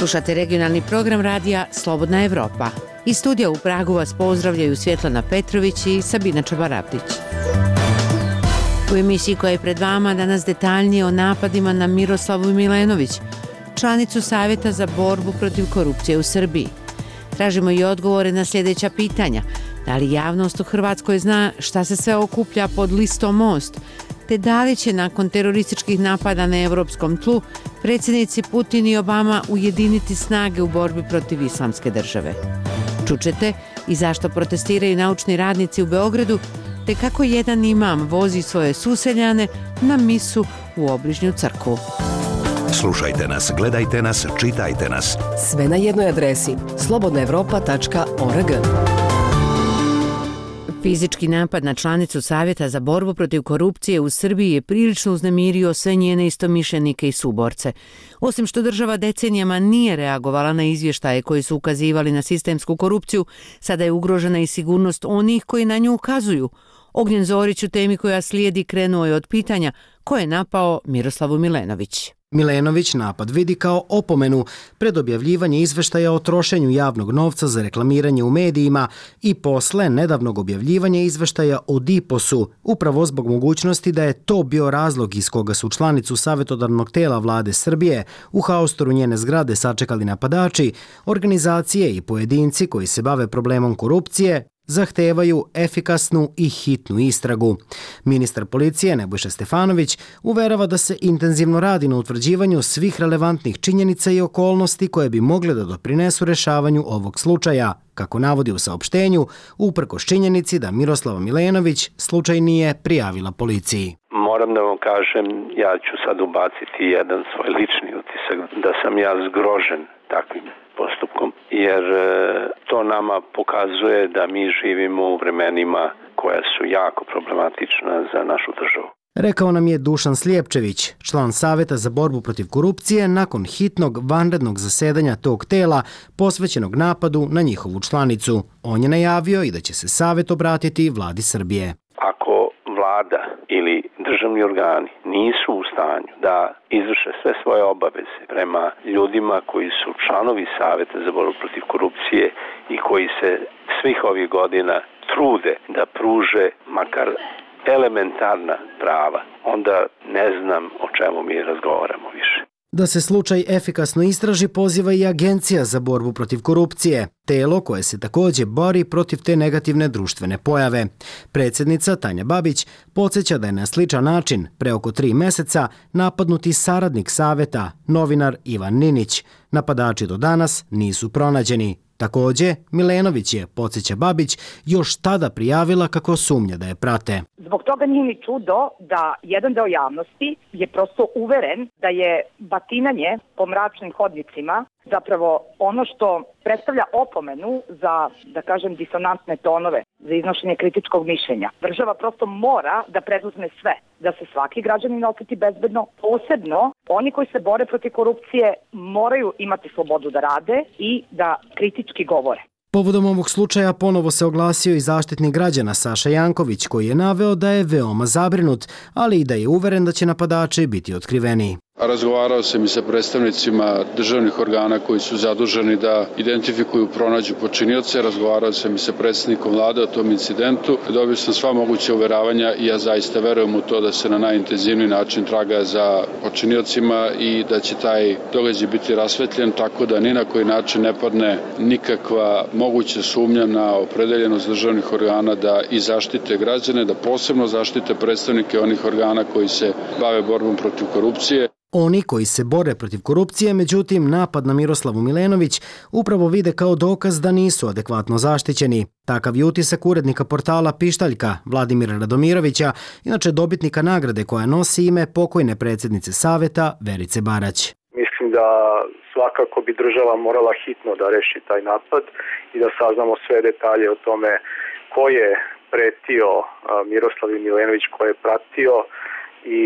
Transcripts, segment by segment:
Slušate regionalni program radija Slobodna Evropa. Iz studija u Pragu vas pozdravljaju Svjetlana Petrović i Sabina Čabarabdić. U emisiji koja je pred vama danas detaljnije o napadima na Miroslavu Milenović, članicu Savjeta za borbu protiv korupcije u Srbiji. Tražimo i odgovore na sljedeća pitanja. Da li javnost u Hrvatskoj zna šta se sve okuplja pod listom Most, te da li će nakon terorističkih napada na europskom tlu predsjednici Putin i Obama ujediniti snage u borbi protiv islamske države. Čućete i zašto protestiraju naučni radnici u Beogradu, te kako jedan imam vozi svoje suseljane na misu u obližnju crkvu. Slušajte nas, gledajte nas, čitajte nas. Sve na jednoj adresi slobodnaevropa.org. Fizički napad na članicu Savjeta za borbu protiv korupcije u Srbiji je prilično uznemirio sve njene istomišljenike i suborce. Osim što država decenijama nije reagovala na izvještaje koji su ukazivali na sistemsku korupciju, sada je ugrožena i sigurnost onih koji na nju ukazuju. Ognjen Zorić u temi koja slijedi krenuo je od pitanja ko je napao Miroslavu Milenović. Milenović napad vidi kao opomenu pred objavljivanje izveštaja o trošenju javnog novca za reklamiranje u medijima i posle nedavnog objavljivanja izveštaja o DIPOS-u, upravo zbog mogućnosti da je to bio razlog iz koga su članicu savjetodavnog tela vlade Srbije u haostoru njene zgrade sačekali napadači, organizacije i pojedinci koji se bave problemom korupcije, zahtevaju efikasnu i hitnu istragu. Ministar policije Nebojša Stefanović uverava da se intenzivno radi na utvrđivanju svih relevantnih činjenica i okolnosti koje bi mogle da doprinesu rešavanju ovog slučaja, kako navodi u saopštenju, uprkos činjenici da Miroslava Milenović slučaj nije prijavila policiji. Moram da vam kažem, ja ću sad ubaciti jedan svoj lični utisak, da sam ja zgrožen takvim postupkom, jer to nama pokazuje da mi živimo u vremenima koja su jako problematična za našu državu. Rekao nam je Dušan Slijepčević, član Savjeta za borbu protiv korupcije, nakon hitnog vanrednog zasedanja tog tela posvećenog napadu na njihovu članicu. On je najavio i da će se Savjet obratiti vladi Srbije. Ako vlada ili državni organi nisu u stanju da izvrše sve svoje obaveze prema ljudima koji su članovi Savjeta za borbu protiv korupcije i koji se svih ovih godina trude da pruže makar elementarna prava, onda ne znam o čemu mi razgovaramo više. Da se slučaj efikasno istraži poziva i Agencija za borbu protiv korupcije, telo koje se također bori protiv te negativne društvene pojave. Predsjednica Tanja Babić podsjeća da je na sličan način pre oko 3 meseca napadnuti saradnik Savjeta, novinar Ivan Ninić. Napadači do danas nisu pronađeni. Također, Milenović je, podsjeća Babić, još tada prijavila kako sumnja da je prate. Zbog toga nije ni čudo da jedan deo javnosti je prosto uveren da je batinanje po mračnim hodnicima zapravo ono što predstavlja opomenu za, da kažem, disonantne tonove, za iznošenje kritičkog mišljenja. Država prosto mora da preduzme sve, da se svaki građanin osjeti bezbedno, posebno oni koji se bore protiv korupcije moraju imati slobodu da rade i da kritički govore. Povodom ovog slučaja ponovo se oglasio i zaštitnik građana Saša Janković, koji je naveo da je veoma zabrinut, ali i da je uveren da će napadači biti otkriveni. Razgovarao sam i sa predstavnicima državnih organa koji su zaduženi da identifikuju, pronađu počinioce. Razgovarao sam i sa predsjednikom vlade o tom incidentu. Dobio sam sva moguća uveravanja i ja zaista verujem u to da se na najintenzivniji način traga za počiniocima i da će taj događaj biti rasvetljen tako da ni na koji način ne padne nikakva moguća sumnja na opredeljenost državnih organa da i zaštite građane, da posebno zaštite predstavnike onih organa koji se bave borbom protiv korupcije. Oni koji se bore protiv korupcije, međutim, napad na Miroslavu Milenović upravo vide kao dokaz da nisu adekvatno zaštićeni. Takav je utisak urednika portala Pištaljka, Vladimira Radomirovića, inače dobitnika nagrade koja nosi ime pokojne predsjednice Savjeta Verice Barać. Mislim da svakako bi država morala hitno da reši taj napad i da saznamo sve detalje o tome ko je pretio Miroslavu Milenović, ko je pratio i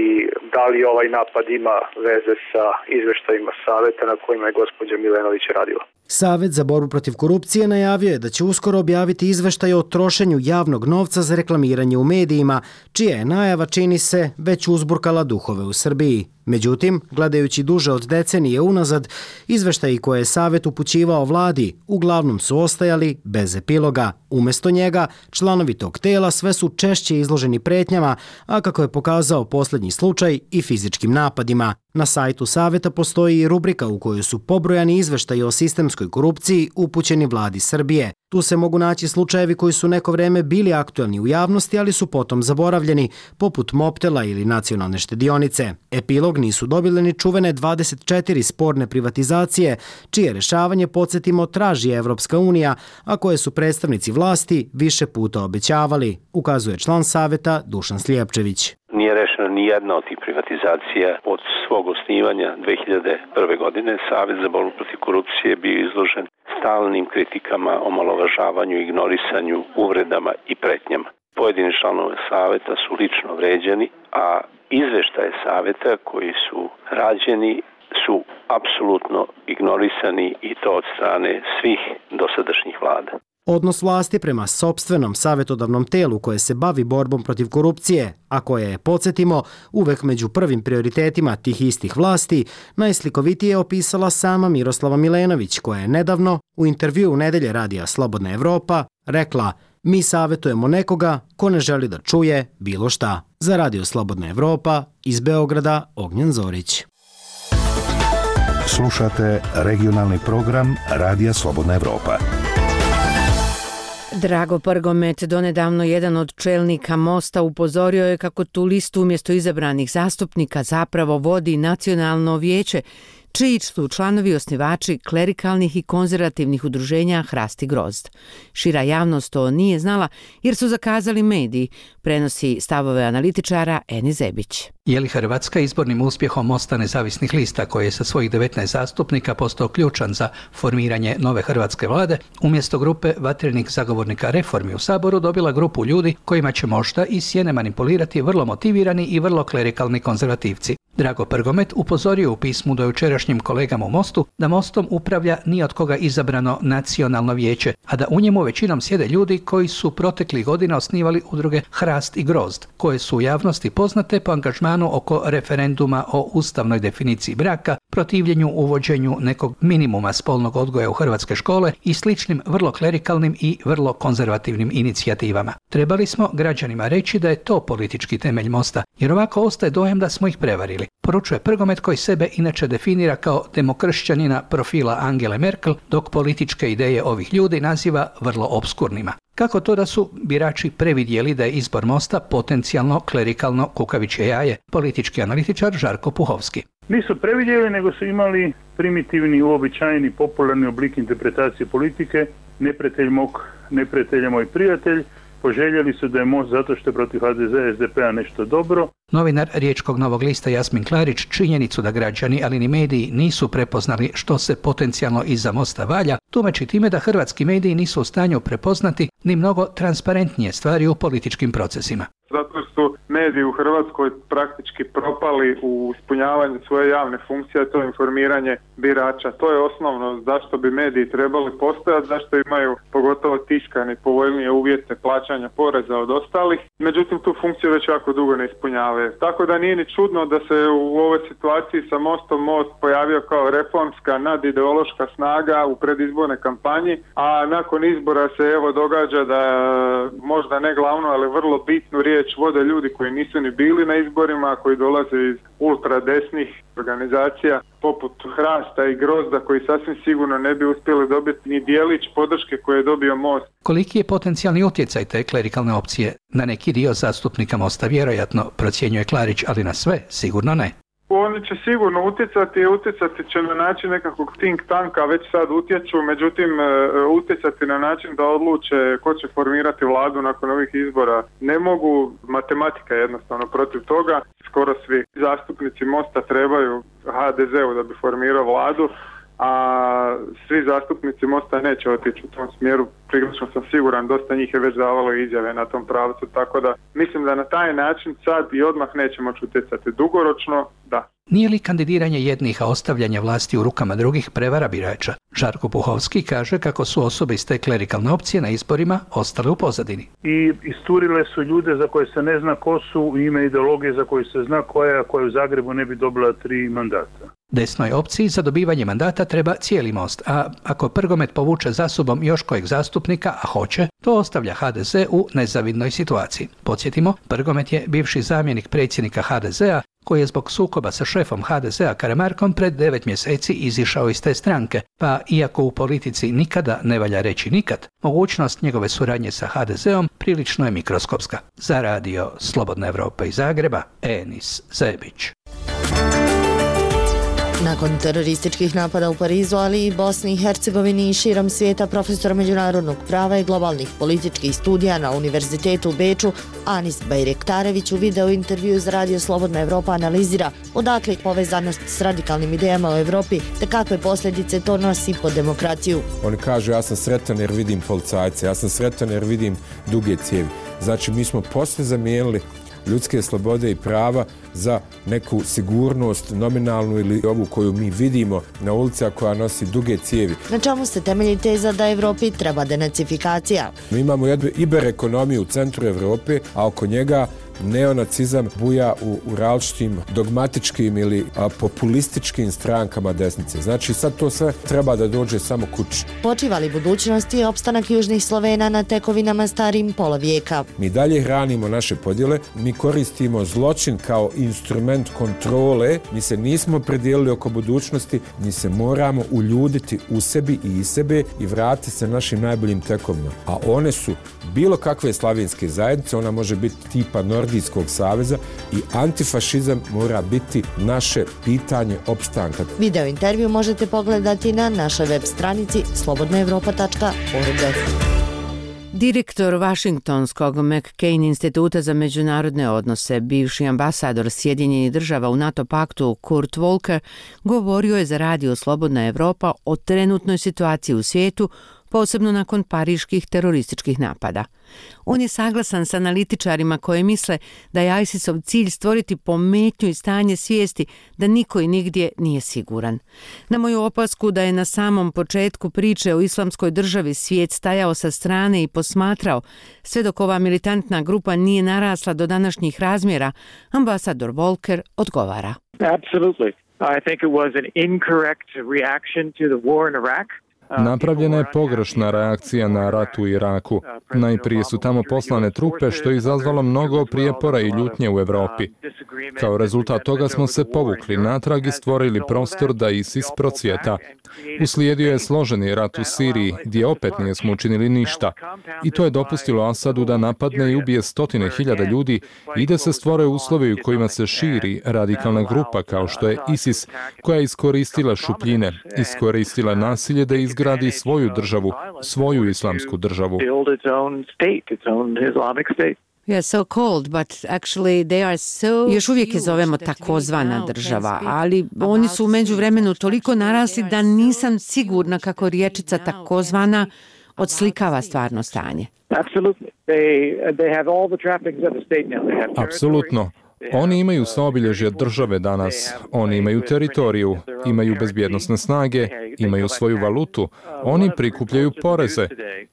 da li ovaj napad ima veze sa izveštajima Savjeta na kojima je gospođa Milenović radila. Savet za borbu protiv korupcije najavio je da će uskoro objaviti izveštaj o trošenju javnog novca za reklamiranje u medijima, čija je najava, čini se, već uzburkala duhove u Srbiji. Međutim, gledajući duže od decenije unazad, izveštaji koje je Savet upućivao vladi uglavnom su ostajali bez epiloga. Umjesto njega, članovi tog tela sve su češće izloženi pretnjama, a kako je pokazao posljednji slučaj, i fizičkim napadima. Na sajtu Saveta postoji i rubrika u kojoj su pobrojani izveštaji o sistemskoj korupciji upućeni vladi Srbije. Tu se mogu naći slučajevi koji su neko vreme bili aktualni u javnosti, ali su potom zaboravljeni, poput Mobtela ili Nacionalne štedionice. Epilog nisu dobile ni čuvene 24 sporne privatizacije, čije rešavanje, podsjetimo, traži Evropska unija, a koje su predstavnici vlasti više puta obećavali, ukazuje član Saveta Dušan Slijepčević. Nije rešena ni jedna od tih privatizacija od svog osnivanja 2001. godine. Savet za borbu protiv korupcije je bio izložen stalnim kritikama, omalovažavanju, ignorisanju, uvredama i pretnjama. Pojedini članovi Saveta su lično vređani, a izveštaje Saveta koji su rađeni su apsolutno ignorisani i to od strane svih dosadašnjih vlada. Odnos vlasti prema sopstvenom savjetodavnom telu koje se bavi borbom protiv korupcije, a koje je, podsjetimo, uvek među prvim prioritetima tih istih vlasti, najslikovitije je opisala sama Miroslava Milenović, koja je nedavno u intervjuu u Nedelje radija Slobodna Evropa rekla: "Mi savjetujemo nekoga ko ne želi da čuje bilo šta." Za radio Slobodna Evropa, iz Beograda, Ognjen Zorić. Slušate regionalni program Radija Slobodna Evropa. Drago Prgomet, donedavno jedan od čelnika Mosta, upozorio je kako tu listu umjesto izabranih zastupnika zapravo vodi Nacionalno vijeće, čiji su članovi osnivači klerikalnih i konzervativnih udruženja Hrast i Grozd. Šira javnost to nije znala jer su zakazali mediji, prenosi stavove analitičara Eni Zebić. Je li Hrvatska izbornim uspjehom Mosta nezavisnih lista, koji je sa svojih 19 zastupnika postao ključan za formiranje nove hrvatske vlade, umjesto grupe vatrenih zagovornika reformi u Saboru dobila grupu ljudi kojima će možda iz sjene manipulirati vrlo motivirani i vrlo klerikalni konzervativci? Drago Prgomet upozorio u pismu do jučerašnjim kolegama u Mostu da Mostom upravlja ni od koga izabrano Nacionalno vijeće, a da u njemu većinom sjede ljudi koji su proteklih godina osnivali udruge Hrast i Grozd, koje su u javnosti poznate po angažmanu oko referenduma o ustavnoj definiciji braka, protivljenju uvođenju nekog minimuma spolnog odgoja u hrvatske škole i sličnim vrlo klerikalnim i vrlo konzervativnim inicijativama. Trebali smo građanima reći da je to politički temelj Mosta, jer ovako ostaje dojam da smo ih prevarili, poručuje Prgomet, koji sebe inače definira kao demokršćanina profila Angele Merkel, dok političke ideje ovih ljudi naziva vrlo obskurnima. Kako to da su birači previdjeli da je izbor Mosta potencijalno klerikalno kukavičje jaje? Politički analitičar Žarko Puhovski. Nisu previdjeli, nego su imali primitivni, uobičajeni, popularni oblik interpretacije politike. Neprijatelj mog neprijatelja moj prijatelj. Poželjeli su da je Most zato što je protiv HDZ, SDP-a nešto dobro. Novinar Riječkog Novog lista Jasmin Klarić činjenicu da građani, ali ni mediji, nisu prepoznali što se potencijalno iza Mosta valja, tumači time da hrvatski mediji nisu u stanju prepoznati ni mnogo transparentnije stvari u političkim procesima. Zato su mediji u Hrvatskoj praktički propali u ispunjavanju svoje javne funkcije, to je informiranje birača. To je osnovno zašto bi mediji trebali postojati, zašto imaju pogotovo tiskani povoljnije uvjete plaćanja poreza od ostalih. Međutim, tu funkciju već jako dugo ne ispunjavaju. Tako da nije ni čudno da se u ovoj situaciji sa Mostom Most pojavio kao reformska nadideološka snaga u predizbornoj kampanji, a nakon izbora se evo događa da možda ne glavno, ali vrlo bitnu riječ vode ljudi koji nisu ni bili na izborima, koji dolaze iz ultradesnih organizacija poput Hrasta i Grozda, koji sasvim sigurno ne bi uspjeli dobiti ni dijelić podrške koje je dobio Most. Koliki je potencijalni utjecaj te klerikalne opcije na neki dio zastupnika Mosta? Vjerojatno, procjenjuje Klarić, ali na sve sigurno ne. Oni će sigurno utjecati će na način nekakvog think tanka, već sad utječu, međutim utjecati na način da odluče ko će formirati vladu nakon ovih izbora ne mogu. Matematika je jednostavno protiv toga. Skoro svi zastupnici Mosta trebaju HDZ-u da bi formirao vladu, a svi zastupnici Mosta neće otići u tom smjeru. Prilično sam siguran, dosta njih je već davalo izjave na tom pravcu, tako da mislim da na taj način sad i odmah nećemo utjecati. Dugoročno, da. Nije li kandidiranje jednih, a ostavljanje vlasti u rukama drugih prevara birača? Žarko Puhovski kaže kako su osobe iz te klerikalne opcije na izborima ostale u pozadini. I isturile su ljude za koje se ne zna ko su u ime ideologije za koju se zna koja u Zagrebu ne bi dobila 3 mandata. Desnoj opciji za dobivanje mandata treba cijeli Most, a ako Prgomet povuče za sobom još kojeg zastupnika, a hoće, to ostavlja HDZ u nezavidnoj situaciji. Podsjetimo, Prgomet je bivši zamjenik predsjednika HDZ-a koji je zbog sukoba sa šefom HDZ-a Karamarkom pred 9 mjeseci izišao iz te stranke, pa iako u politici nikada ne valja reći nikad, mogućnost njegove suradnje sa HDZ-om prilično je mikroskopska. Za radio Slobodna Evropa iz Zagreba, Enis Zebić. Nakon terorističkih napada u Parizu, ali i Bosni i Hercegovini i širom svijeta, profesor međunarodnog prava i globalnih političkih studija na Univerzitetu u Beču, Anis Bajrektarević u video intervju za radio Slobodna Evropa analizira odakle povezanost s radikalnim idejama u Evropi te kakve posljedice to nosi po demokraciju. Oni kažu ja sam sretan jer vidim policajce, ja sam sretan jer vidim duge cijevi. Znači mi smo posve zamijenili ljudske slobode i prava za neku sigurnost nominalnu ili ovu koju mi vidimo na ulici, koja nosi duge cijevi. Na čemu se temelji teza da Evropi treba denacifikacija? Mi imamo jednu iberekonomiju u centru Evrope, a oko njega neonacizam buja u različitim dogmatičkim ili populističkim strankama desnice. Znači sad to sve treba da dođe samo kući. Počiva li budućnost i opstanak južnih Slovena na tekovinama starim pola vijeka? Mi dalje hranimo naše podjele, mi koristimo zločin kao instrument kontrole, mi se nismo predijelili oko budućnosti, mi se moramo uljuditi u sebi i iz sebe i vratiti se našim najboljim tekovinama. A one su bilo kakve slavenske zajednice, ona može biti tipa Nordijskog saveza i antifašizam mora biti naše pitanje opstanka. Video intervju možete pogledati na našoj web stranici slobodnaevropa.org. Direktor Vašingtonskog McCain instituta za međunarodne odnose, bivši ambasador Sjedinjenih država u NATO paktu Kurt Volker, govorio je za radio Slobodna Evropa o trenutnoj situaciji u svijetu, posebno nakon pariških terorističkih napada. On je saglasan s analitičarima koji misle da je ISIS-ov cilj stvoriti pometnju i stanje svijesti da niko i nigdje nije siguran. Na moju opasku da je na samom početku priče o islamskoj državi svijet stajao sa strane i posmatrao, sve dok ova militantna grupa nije narasla do današnjih razmjera, ambasador Volker odgovara. Absolutely. I think it was an incorrect reaction to the war in Iraq. Napravljena je pogrešna reakcija na rat u Iraku. Najprije su tamo poslane trupe, što je izazvalo mnogo prijepora i ljutnje u Europi. Kao rezultat toga smo se povukli natrag i stvorili prostor da ISIS procvjeta. Uslijedio je složeni rat u Siriji, gdje opet nismo učinili ništa. I to je dopustilo Asadu da napadne i ubije 100.000 ljudi i da se stvore uslovi u kojima se širi radikalna grupa kao što je ISIS, koja je iskoristila šupljine, iskoristila nasilje da izgradi svoju državu, svoju islamsku državu. Još uvijek je zovemo takozvana država, ali oni su u međuvremenu toliko narasli da nisam sigurna kako riječica takozvana odslikava stvarno stanje. Apsolutno. Oni imaju sva obilježja države danas, oni imaju teritoriju, imaju bezbjednosne snage, imaju svoju valutu, oni prikupljaju poreze.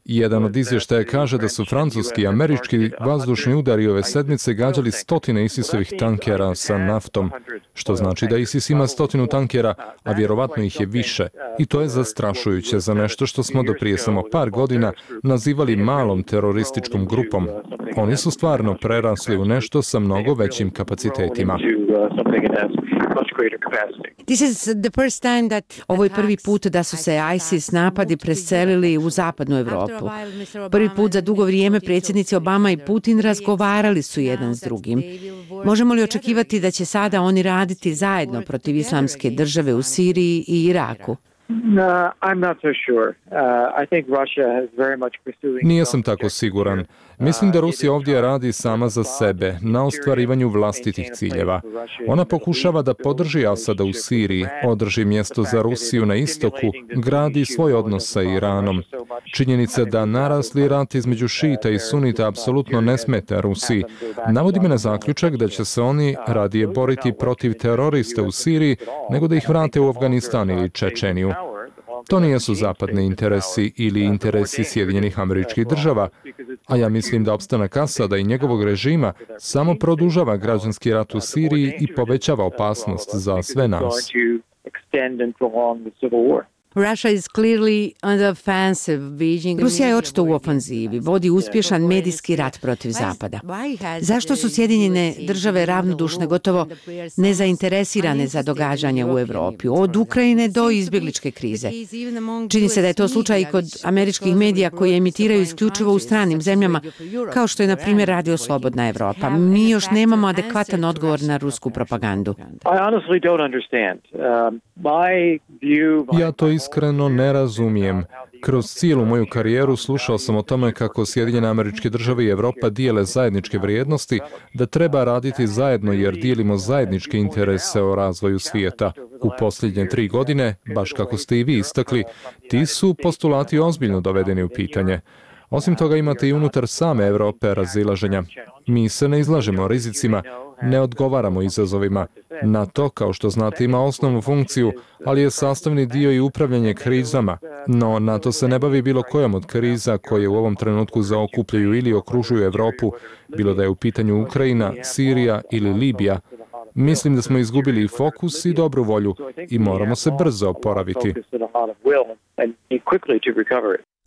Jedan od izvještaja kaže da su francuski i američki vazdušni udari ove sedmice gađali 100 ISIS-ovih tankera sa naftom, što znači da ISIS ima 100 tankera, a vjerovatno ih je više. I to je zastrašujuće za nešto što smo do prije samo par godina nazivali malom terorističkom grupom. Oni su stvarno prerasli u nešto sa mnogo većim kapacitetima. Ovo je prvi put da su se ISIS napadi preselili u zapadnu Europu. Prvi put za dugo vrijeme predsjednici Obama i Putin razgovarali su jedan s drugim. Možemo li očekivati da će sada oni raditi zajedno protiv islamske države u Siriji i Iraku? I'm not so sure. I think Russia is very much pursuing... Nisam tako siguran. Mislim da Rusija ovdje radi sama za sebe, na ostvarivanju vlastitih ciljeva. Ona pokušava da podrži Asada u Siriji, održi mjesto za Rusiju na istoku, gradi svoj odnos sa Iranom. Činjenica da narasli rat između šita i sunita apsolutno ne smeta Rusiji. Navodi me na zaključak da će se oni radije boriti protiv terorista u Siriji nego da ih vrate u Afganistan ili Čečeniju. To nijesu zapadni interesi ili interesi Sjedinjenih Američkih Država, a ja mislim da opstanak Asada i njegovog režima samo produžava građanski rat u Siriji i povećava opasnost za sve nas. Rusija je očito u ofanzivi, vodi uspješan medijski rat protiv Zapada. Zašto su Sjedinjene Države ravnodušne, gotovo nezainteresirane za događanja u Europi, od Ukrajine do izbjegličke krize? Čini se da je to slučaj i kod američkih medija koji emitiraju isključivo u stranim zemljama, kao što je na primjer Radio Slobodna Evropa. Mi još nemamo adekvatan odgovor na rusku propagandu. Ja to iskreno ne razumijem. Kroz cijelu moju karijeru slušao sam o tome kako Sjedinjene Američke Države i Evropa dijele zajedničke vrijednosti, da treba raditi zajedno jer dijelimo zajedničke interese o razvoju svijeta. U posljednje 3 godine, baš kako ste i vi istakli, ti su postulati ozbiljno dovedeni u pitanje. Osim toga imate i unutar same Europe razilaženja. Mi se ne izlažemo rizicima, ne odgovaramo izazovima. NATO, kao što znate, ima osnovnu funkciju, ali je sastavni dio i upravljanje krizama. No, NATO se ne bavi bilo kojom od kriza koje u ovom trenutku zaokupljaju ili okružuju Europu, bilo da je u pitanju Ukrajina, Sirija ili Libija. Mislim da smo izgubili i fokus i dobru volju i moramo se brzo oporaviti.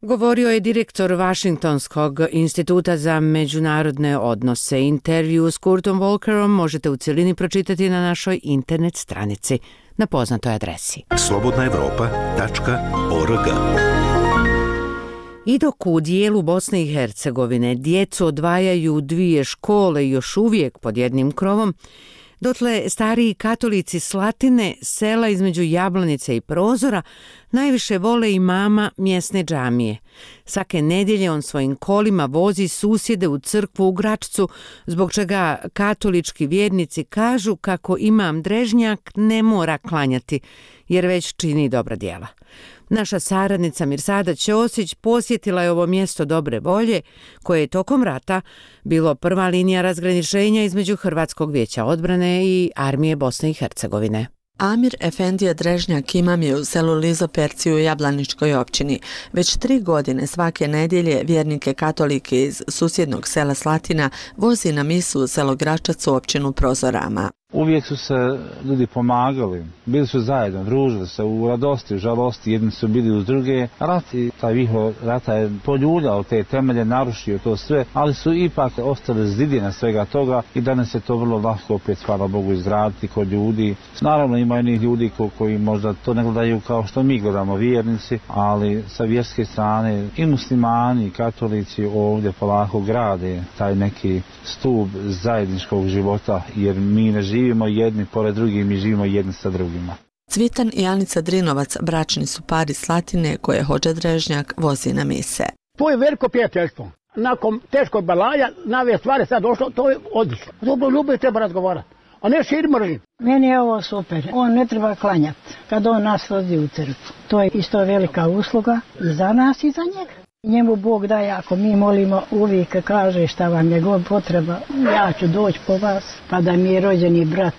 Govorio je direktor Washingtonskog instituta za međunarodne odnose. Intervju s Kurtom Volkerom možete u cjelini pročitati na našoj internet stranici na poznatoj adresi slobodnaevropa.org. I dok u dijelu Bosne i Hercegovine djecu odvajaju 2 škole još uvijek pod jednim krovom, dotle stariji katolici Slatine, sela između Jablanice i Prozora, najviše vole imama mjesne džamije. Svake nedjelje on svojim kolima vozi susjede u crkvu u Gračcu, zbog čega katolički vjernici kažu kako imam Drežnjak ne mora klanjati, jer već čini dobra djela. Naša saradnica Mirsada Ćosić posjetila je ovo mjesto dobre volje, koje je tokom rata bilo prva linija razgraničenja između Hrvatskog vijeća odbrane i armije Bosne i Hercegovine. Amir Efendija Drežnjak imam je u selu Lizoperci u Jablaničkoj općini. Već 3 godine svake nedjelje vjernike katolike iz susjednog sela Slatina vozi na misu u selo Gračac u općinu Prozorama. Uvijek su se ljudi pomagali, bili su zajedno, družili se u radosti, u žalosti, jedni su bili uz druge. Rat i taj vihor rata je poljuljao te temelje, narušio to sve, ali su ipak ostale zidine svega toga i danas je to vrlo lahko opet, hvala Bogu, izraditi kod ljudi. Naravno ima onih ljudi koji možda to ne gledaju kao što mi gledamo, vjernici, ali sa vjerske strane i muslimani i katolici ovdje polako grade taj neki stup zajedničkog života, jer mi ne živimo jedni pored drugih, mi živimo jedni sa drugima. Cvitan i Anica Drinovac bračni su par iz Slatine koje Hodža Drežnjak vozi na mise. To je veliko prijateljstvo. Nakon teškog balaja, nove stvari sad došlo, to je odlično. Dobro ljubav treba razgovarati, a ne šir mržnju. Meni je ovo super. On ne treba klanjati kad on nas vodi u crkvu. To je isto velika usluga i za nas i za njega. Njemu Bog daje, ako mi molimo, uvijek kaže šta vam je god potreba, ja ću doći po vas, pa da mi je rođeni brat,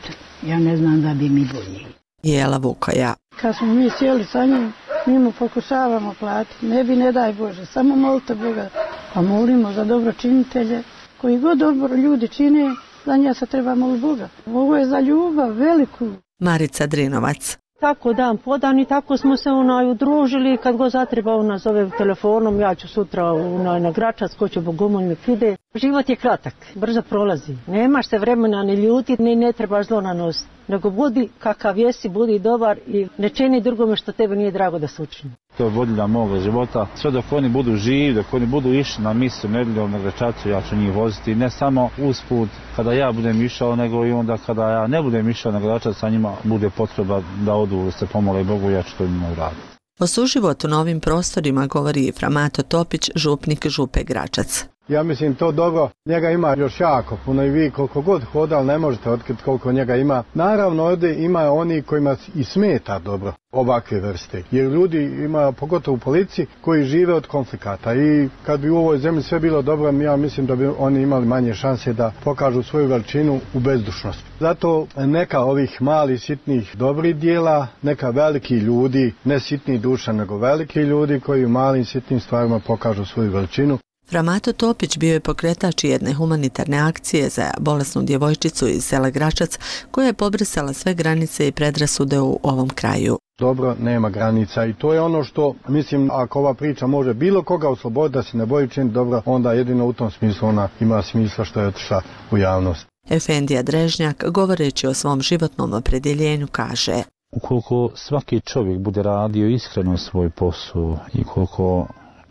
ja ne znam da bi mi bolji. Jela Vukoja. Kad smo mi sjeli sa njim, mi mu pokušavamo platiti, ne daj Bože, samo molite Boga, a molimo za dobročinitelje, koji god dobro ljudi čine, za nje se treba moliti Boga. Ovo je za ljubav veliku. Marica Drinovac. Tako dan podan i tako smo se udružili, kad go zatreba nas zove telefonom, ja ću sutra na Gračac, ko će bogomoljnik ide. Život je kratak, brzo prolazi, nemaš se vremena ni ljuti, ni ne trebaš zlo nanositi, nego budi kakav jesi, budi dobar i ne čini drugome što tebe nije drago da se učini. To je vodilja moga života, sve dok oni budu živi, dok oni budu išli na misu nedjeljom na Gračacu, ja ću njih voziti, ne samo usput kada ja budem išao, nego i onda kada ja ne budem išao na Gračac, a njima bude potreba da odu, se pomole Bogu, ja ću to njima uraditi. O suživotu na ovim prostorima govori Framato Topić, župnik Župe Gračac. Ja mislim to dobro, njega ima još jako puno i vi koliko god hodali ne možete otkriti koliko njega ima. Naravno ovdje ima oni kojima i smeta dobro ovakve vrste, jer ljudi ima, pogotovo u policiji, koji žive od konflikata i kad bi u ovoj zemlji sve bilo dobro, ja mislim da bi oni imali manje šanse da pokažu svoju veličinu u bezdušnosti. Zato neka ovih malih sitnih dobrih dijela, neka veliki ljudi, ne sitni duša nego veliki ljudi koji u malim sitnim stvarima pokažu svoju veličinu. Framato Topić bio je pokretač jedne humanitarne akcije za bolesnu djevojčicu iz sela Gračac koja je pobrisala sve granice i predrasude u ovom kraju. Dobro nema granica i to je ono što, mislim, ako ova priča može bilo koga osloboditi da se ne boji činiti dobro, onda jedino u tom smislu ona ima smisla što je otišla u javnost. Efendija Drežnjak, govoreći o svom životnom opredjeljenju, kaže: ukoliko svaki čovjek bude radio iskreno svoj posao i koliko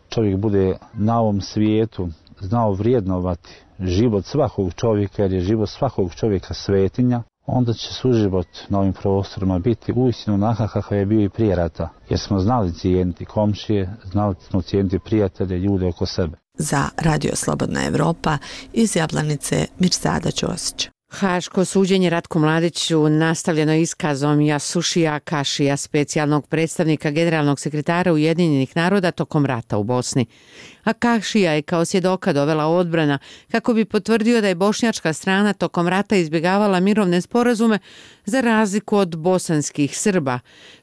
čovjek bude na ovom svijetu znao vrijednovati život svakog čovjeka, jer je život svakog čovjeka svetinja, onda će suživot na ovim prostorima biti uistinu onakav kakav je bio i prije rata, jer smo znali cijeniti komšije, znali smo cijeniti prijatelje, ljude oko sebe. Za Radio Slobodna Evropa iz Jablanice, Mirsada Ćosić. Haško suđenje Ratku Mladiću nastavljeno iskazom Jasušija Kašija, specijalnog predstavnika generalnog sekretara Ujedinjenih naroda tokom rata u Bosni. A Kašija je kao svjedoka dovela odbrana kako bi potvrdio da je bošnjačka strana tokom rata izbjegavala mirovne sporazume za razliku od bosanskih Srba.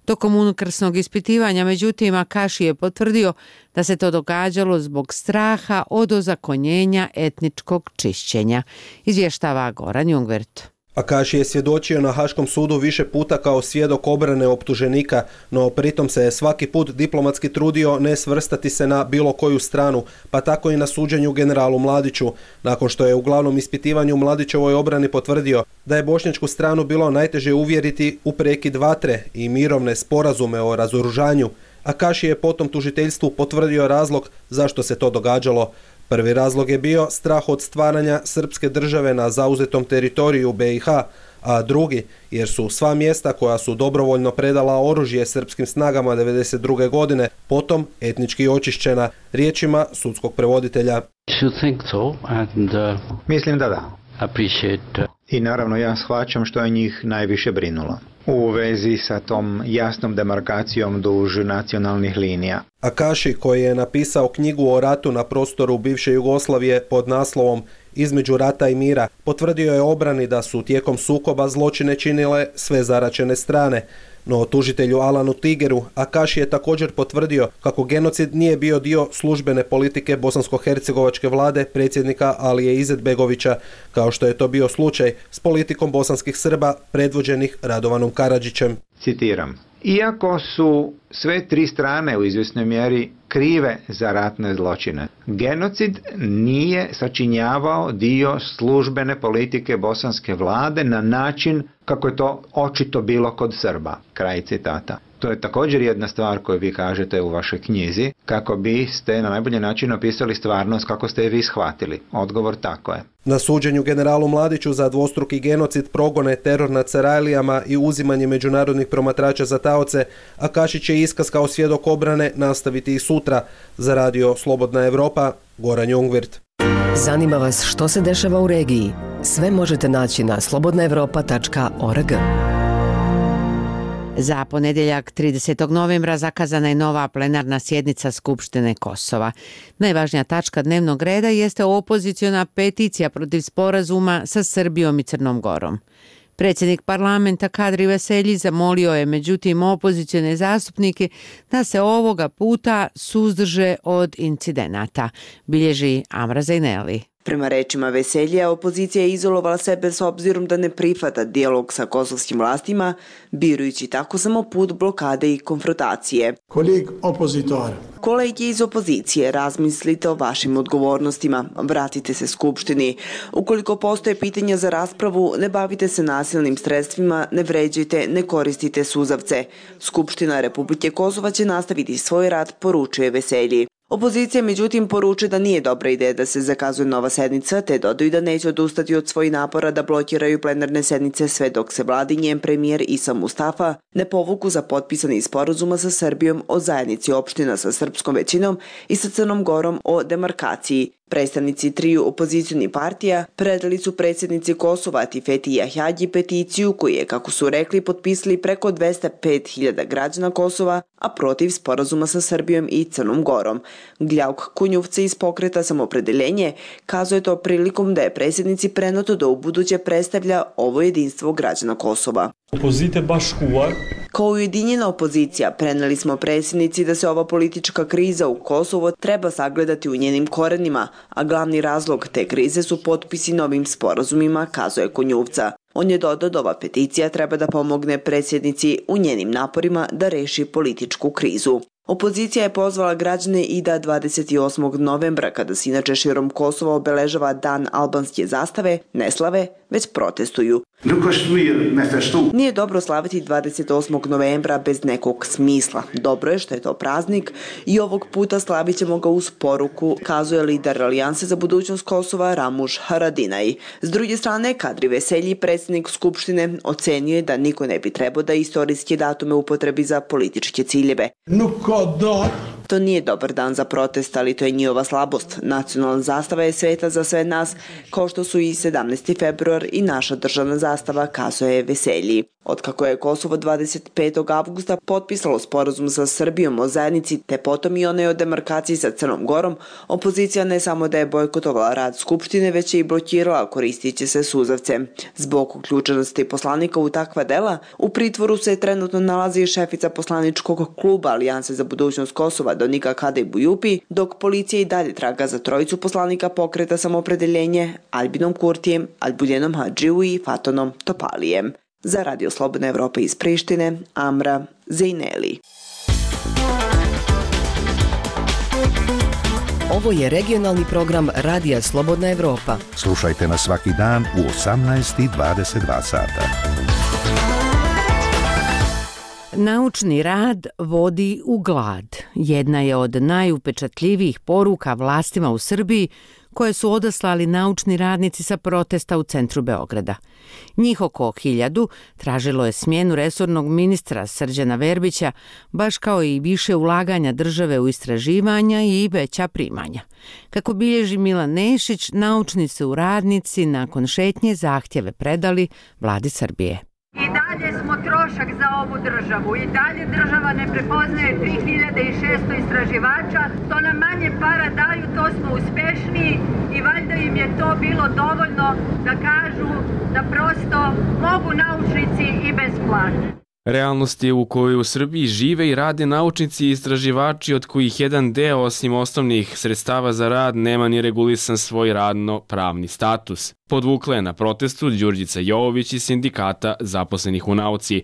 Tokom unutrašnjeg ispitivanja, međutim, Akaši je potvrdio da se to događalo zbog straha od ozakonjenja etničkog čišćenja. Izvještava Goran Jungvert. Akaši je svjedočio na Haškom sudu više puta kao svjedok obrane optuženika, no pritom se je svaki put diplomatski trudio ne svrstati se na bilo koju stranu, pa tako i na suđenju generalu Mladiću, nakon što je u glavnom ispitivanju Mladićevoj obrani potvrdio da je bošnjačku stranu bilo najteže uvjeriti u prekid vatre i mirovne sporazume o razoružanju. Akaši je potom tužiteljstvu potvrdio razlog zašto se to događalo. Prvi razlog je bio strah od stvaranja srpske države na zauzetom teritoriju BiH, a drugi jer su sva mjesta koja su dobrovoljno predala oružje srpskim snagama 1992. godine potom etnički očišćena, riječima sudskog prevoditelja. Mislim da da. I naravno ja shvaćam što je njih najviše brinulo u vezi sa tom jasnom demarkacijom duž nacionalnih linija. Akaši, koji je napisao knjigu o ratu na prostoru bivše Jugoslavije pod naslovom Između rata i mira, potvrdio je obrani da su tijekom sukoba zločine činile sve zaraćene strane. No tužitelju Alanu Tigeru Akaši je također potvrdio kako genocid nije bio dio službene politike bosansko-hercegovačke vlade predsjednika Alije Izetbegovića, kao što je to bio slučaj s politikom bosanskih Srba predvođenih Radovanom Karadžićem. Citiram: iako su sve tri strane u izvjesnoj mjeri krive za ratne zločine, genocid nije sačinjavao dio službene politike bosanske vlade na način kako je to očito bilo kod Srba. Kraj citata. To je također jedna stvar koju vi kažete u vašoj knjizi, kako biste na najbolji način opisali stvarnost kako ste je vi shvatili. Odgovor tako je. Na suđenju generalu Mladiću za dvostruki genocid, progone, teror nad Sarajlijama i uzimanje međunarodnih promatrača za taoce, Akaši će iskaz kao svjedok obrane nastaviti i sutra. Za Radio Slobodna Evropa, Goran Jungvert. Zanima vas što se dešava u regiji? Sve možete naći na slobodnaevropa.org. Za ponedjeljak 30. novembra zakazana je nova plenarna sjednica Skupštine Kosova. Najvažnija tačka dnevnog reda jeste opoziciona peticija protiv sporazuma sa Srbijom i Crnom Gorom. Predsjednik parlamenta Kadri Veselji zamolio je međutim opozicione zastupnike da se ovoga puta suzdrže od incidenata, bilježi Amra Zajneli. Prema rečima Veseljija, opozicija je izolovala sebe s obzirom da ne prihvata dijalog sa kosovskim vlastima, birujući tako samo put blokade i konfrontacije. Kolege iz opozicije, razmislite o vašim odgovornostima, vratite se Skupštini. Ukoliko postoje pitanja za raspravu, ne bavite se nasilnim sredstvima, ne vređajte, ne koristite suzavce. Skupština Republike Kosova će nastaviti svoj rad, poručuje Veselji. Opozicija međutim poručuje da nije dobra ideja da se zakazuje nova sednica, te dodaju da neće odustati od svojih napora da blokiraju plenarne sednice sve dok se vlada i njen premijer Isa Mustafa ne povuku za potpisani sporazuma sa Srbijom o zajednici opština sa srpskom većinom i sa Crnom Gorom o demarkaciji. Predstavnici triju opozicionih partija predali su predsjednici Kosova Tifeti Jahjagi peticiju koju je, kako su rekli, potpisali preko 205.000 građana Kosova, a protiv sporazuma sa Srbijom i Crnom Gorom. Gljauk Kunjuvca iz pokreta Samopredeljenje kazuje to prilikom da je predsjednici prenuto da ubuduće predstavlja ovo jedinstvo građana Kosova. Kao ujedinjena opozicija preneli smo predsjednici da se ova politička kriza u Kosovo treba sagledati u njenim korenima, a glavni razlog te krize su potpisi novim sporazumima, kazuje Kunjuvca. On je dodao da ova peticija treba da pomogne predsjednici u njenim naporima da reši političku krizu. Opozicija je pozvala građane i da 28. novembra, kada se inače širom Kosova obeležava Dan albanske zastave, ne slave, već protestuju. Nije dobro slaviti 28. novembra bez nekog smisla. Dobro je što je to praznik i ovog puta slavit ćemo ga uz poruku, kazuje lider Alijanse za budućnost Kosova Ramuš Haradinaj. S druge strane, Kadri Veselji, predsjednik Skupštine, ocenio je da niko ne bi trebao da istorijske datume upotrebi za političke ciljeve. To nije dobar dan za protest, ali to je njihova slabost. Nacionalna zastava je sveta za sve nas, kao što su i 17. februar i naša državna zastava, kazuje Veselji. Otkako je Kosovo 25. avgusta potpisalo sporazum sa Srbijom o zajednici, te potom i onaj o demarkaciji sa Crnom Gorom, opozicija ne samo da je bojkotovala rad Skupštine, već je i blokirala koristići se suzavce. Zbog uključenosti poslanika u takva dela, u pritvoru se trenutno nalazi šefica poslaničkog kluba Alijanse za budućnost Kosova Donika Kadej Bujupi, dok policija i dalje traga za trojicu poslanika pokreta Samopredeljenje, Albinom Kurtijem, Albuljenom Hadžiju i Fatonom Topalijem. Za Radio Slobodna Evropa iz Prištine, Amra Zejneli. Ovo je regionalni program Radija Slobodna Evropa. Slušajte nas svaki dan u 18:22 sata. Naučni rad vodi u glad. Jedna je od najupečatljivijih poruka vlastima u Srbiji koje su odaslali naučni radnici sa protesta u centru Beograda. Njih oko 1000 tražilo je smjenu resornog ministra Srđana Verbića, baš kao i više ulaganja države u istraživanja i veća primanja. Kako bilježi Milan Nešić, naučni su radnici nakon šetnje zahtjeve predali vladi Srbije. I dalje smo trošak za ovu državu. I dalje država ne prepoznaje 3600 istraživača. To nam manje para daju, to smo uspešniji i valjda im je to bilo dovoljno da kažu da prosto mogu naučnici i bez plate. Realnost je u kojoj u Srbiji žive i rade naučnici i istraživači od kojih jedan deo, osim osnovnih sredstava za rad, nema ni regulisan svoj radno-pravni status. Podvukla je na protestu Đurđica Jovović iz sindikata zaposlenih u nauci.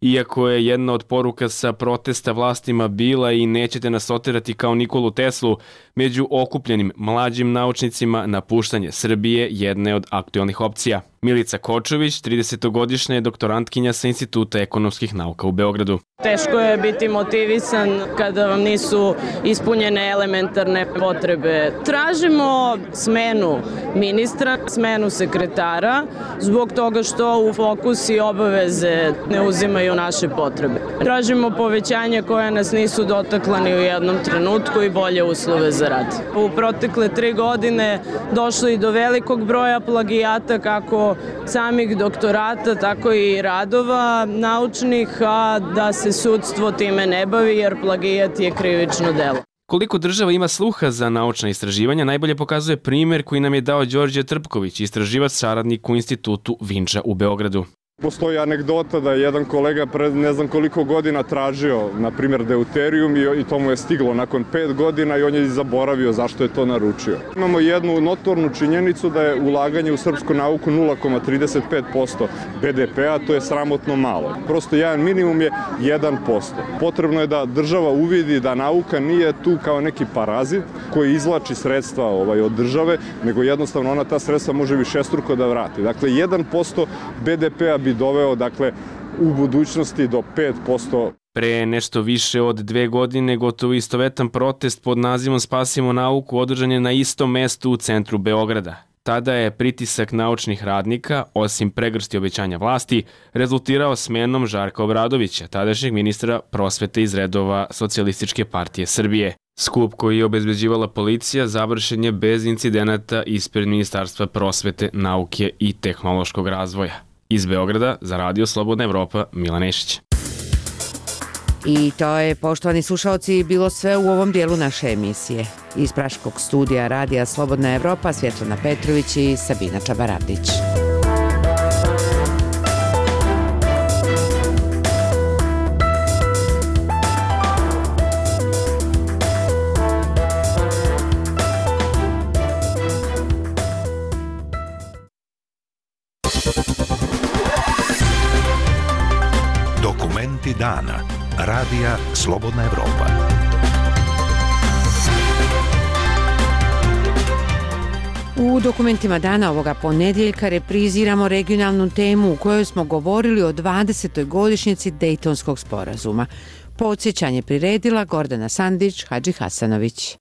Iako je jedna od poruka sa protesta vlastima bila i nećete nas oterati kao Nikolu Teslu, među okupljenim mlađim naučnicima napuštanje Srbije jedna je od aktualnih opcija. Milica Kočović, 30-godišnja je doktorantkinja sa Instituta ekonomskih nauka u Beogradu. Teško je biti motivisan kada vam nisu ispunjene elementarne potrebe. Tražimo smenu ministra, smenu sekretara, zbog toga što u fokus i obaveze ne uzimaju naše potrebe. Tražimo povećanje koje nas nisu dotakla ni u jednom trenutku i bolje uslove za rad. U protekle 3 godine došlo i do velikog broja plagijata, kako samih doktorata, tako i radova naučnih, a da se sudstvo time ne bavi jer plagijat je krivično delo. Koliko država ima sluha za naučna istraživanja najbolje pokazuje primjer koji nam je dao Đorđe Trpković, istraživač saradnik u Institutu Vinča u Beogradu. Postoji anegdota da je jedan kolega pred ne znam koliko godina tražio, na primjer, deuterijum i to mu je stiglo nakon 5 godina i on je zaboravio zašto je to naručio. Imamo jednu notornu činjenicu da je ulaganje u srpsku nauku 0,35% BDP-a, to je sramotno malo. Prosto jedan minimum je 1%. Potrebno je da država uvidi da nauka nije tu kao neki parazit koji izvlači sredstva od države, nego jednostavno ona ta sredstva može višestruko da vrati. Dakle, 1% BDP-a bi doveo, dakle, u budućnosti do 5% Pre nešto više od 2 godine gotovo istovetan protest pod nazivom Spasimo nauku održan je na istom mestu u centru Beograda. Tada je pritisak naučnih radnika, osim pregršti obećanja vlasti, rezultirao smenom Žarka Obradovića, tadašnjeg ministra prosvete iz redova Socijalističke partije Srbije. Skup koji je obezbeđivala policija završen je bez incidenata ispred Ministarstva prosvete, nauke i tehnološkog razvoja. Iz Beograda za Radio Slobodna Evropa, Milan Nešić. I to je, poštovani slušalci, bilo sve u ovom dijelu naše emisije. Iz praškog studija Radija Slobodna Evropa, Svjetlana Petrović i Sabina Čabaravdić. Dokumenti dana. Radija Slobodna Evropa. U dokumentima dana ovoga ponedjeljka repriziramo regionalnu temu u kojoj smo govorili o 20. godišnjici Dejtonskog sporazuma. Podsjećanje priredila Gordana Sandić, Hadži Hasanović.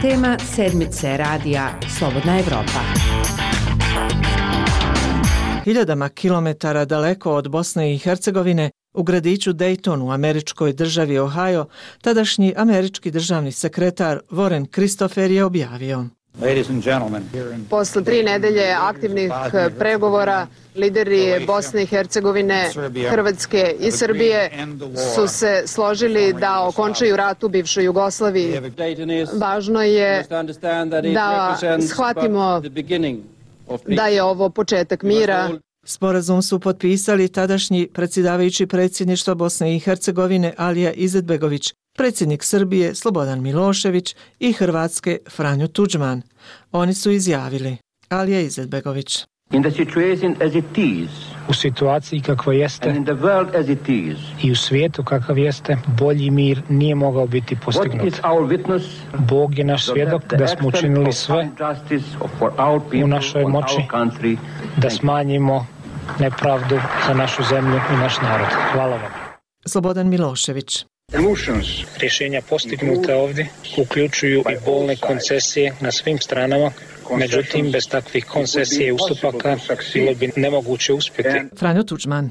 Tema sedmice Radija Slobodna Evropa. Hiljadama kilometara daleko od Bosne i Hercegovine, u gradiću Dayton u američkoj državi Ohio, tadašnji američki državni sekretar Warren Christopher je objavio: Posle 3 nedelje aktivnih pregovora, lideri Bosne i Hercegovine, Hrvatske i Srbije su se složili da okončaju rat u bivšoj Jugoslaviji. Važno je da shvatimo da je ovo početak mira. Sporazum su potpisali tadašnji predsjedavajući predsjedništva Bosne i Hercegovine Alija Izetbegović, predsjednik Srbije Slobodan Milošević i Hrvatske Franjo Tudžman. Oni su izjavili: Alija Izetbegović. U situaciji kakva jeste i u svijetu kakav jeste, bolji mir nije mogao biti postignut. Bog je naš svjedok da smo učinili sve u našoj moći da smanjimo nepravdu za našu zemlju i naš narod. Hvala vam. Slobodan Milošević. Rješenja postignuta ovdje uključuju i bolne koncesije na svim stranama. Međutim, bez takvih koncesija i ustupaka bilo bi nemoguće uspjeti. Franjo Tudžman.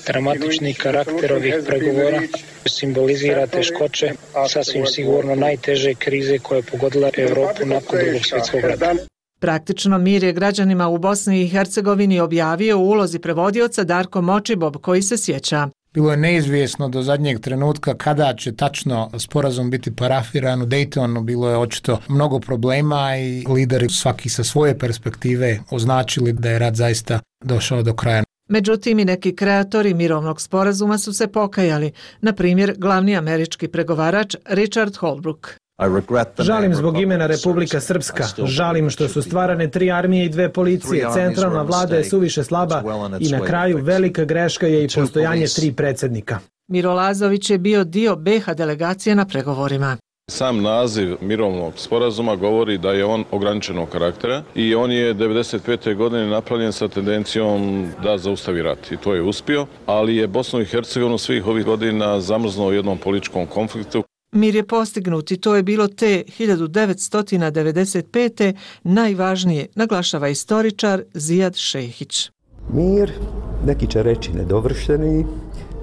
Dramatični karakter ovih pregovora simbolizira teškoće, sasvim sigurno najteže krize koja je pogodila Europu nakon Drugog svjetskog rata. Praktično mir je građanima u Bosni i Hercegovini objavio u ulozi prevodioca Darko Močibob, koji se sjeća: Bilo je neizvjesno do zadnjeg trenutka kada će tačno sporazum biti parafiran u Daytonu. Bilo je očito mnogo problema i lideri svaki sa svoje perspektive označili da je rat zaista došao do kraja. Međutim, i neki kreatori mirovnog sporazuma su se pokajali, na primjer glavni američki pregovarač Richard Holbrooke. Žalim zbog imena Republika Srpska. Žalim što su stvarane 3 armije i 2 policije. Centralna vlada je suviše slaba i na kraju velika greška je i postojanje 3 predsjednika. Miro Lazović je bio dio BiH delegacije na pregovorima. Sam naziv mirovnog sporazuma govori da je on ograničenog karaktera i on je 1995. godine napravljen sa tendencijom da zaustavi rat i to je uspio, ali je Bosnu i Hercegovinu svih ovih godina zamrznuo u jednom političkom konfliktu. Mir je postignut i to je bilo te 1995. najvažnije, naglašava istoričar Zijad Šehić. Mir, neki će reći nedovršeni,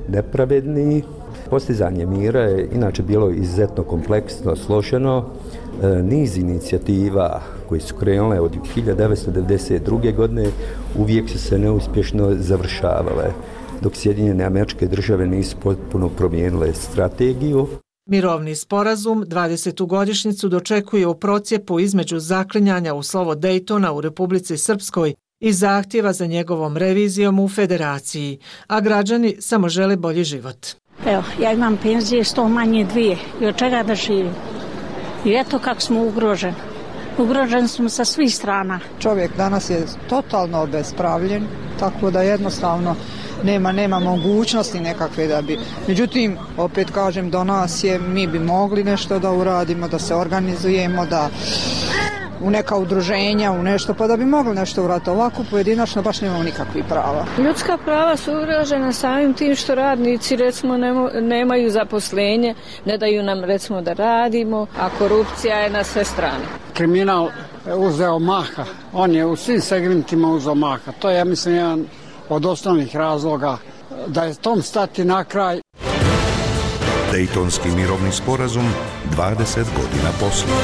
nepravedni. Postizanje mira je inače bilo izuzetno kompleksno, složeno. Niz inicijativa koji su krenule od 1992. godine uvijek su se neuspješno završavale, dok Sjedinjene Američke Države nisu potpuno promijenile strategiju. Mirovni sporazum 20. godišnjicu dočekuje u procjepu između zaklinjanja u slovo Daytona u Republici Srpskoj i zahtjeva za njegovom revizijom u Federaciji, a građani samo žele bolji život. Evo, ja imam penzije 100 manje 2 i od čega da živim. I eto kako smo ugroženi. Ugroženi smo sa svih strana. Čovjek danas je totalno obespravljen, tako da jednostavno nema mogućnosti nekakve da bi. Međutim, opet kažem, do nas je, mi bi mogli nešto da uradimo, da se organizujemo, u neka udruženja, u nešto, pa da bi mogli nešto uraditi. Ovako pojedinačno baš nemamo nikakvih prava. Ljudska prava su ugrožena samim tim što radnici recimo nemaju zaposlenje, ne daju nam recimo da radimo, a korupcija je na sve strane. Kriminal uzeo maha, on je u svim segmentima uzeo maha. To je, ja mislim, jedan od osnovnih razloga da je tom stati na kraj. Dejtonski mirovni sporazum 20 godina poslije.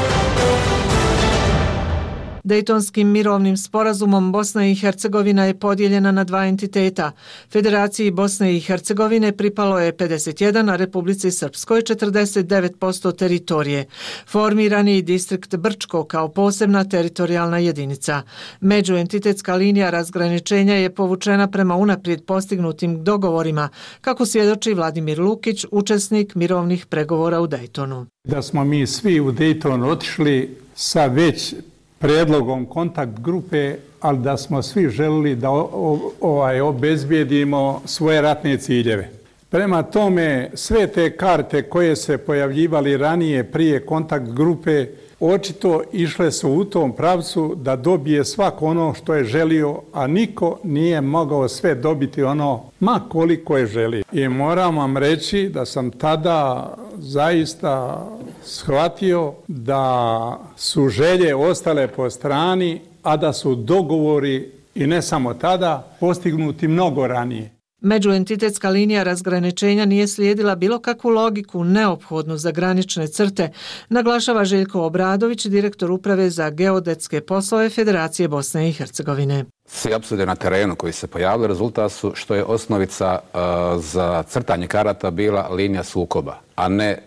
Dejtonskim mirovnim sporazumom Bosna i Hercegovina je podijeljena na dva entiteta. Federaciji Bosne i Hercegovine pripalo je 51, a Republici Srpskoj 49% teritorije. Formiran je i distrikt Brčko kao posebna teritorijalna jedinica. Međuentitetska linija razgraničenja je povučena prema unaprijed postignutim dogovorima, kako svjedoči Vladimir Lukić, učesnik mirovnih pregovora u Dejtonu. Da smo mi svi u Dejton otišli sa već predlogom kontakt grupe, ali da smo svi želili da obezbijedimo svoje ratne ciljeve. Prema tome, sve te karte koje se pojavljivali ranije prije kontakt grupe, očito išle su u tom pravcu da dobije svako ono što je želio, a niko nije mogao sve dobiti ono ma koliko je želio. I moram vam reći da sam tada zaista shvatio da su želje ostale po strani, a da su dogovori, i ne samo tada, postignuti mnogo ranije. Međuentitetska linija razgraničenja nije slijedila bilo kakvu logiku neophodnu za granične crte, naglašava Željko Obradović, direktor uprave za geodetske poslove Federacije Bosne i Hercegovine. Svi apsurde na terenu koji se pojavili rezultat su što je osnovica za crtanje karata bila linija sukoba, a ne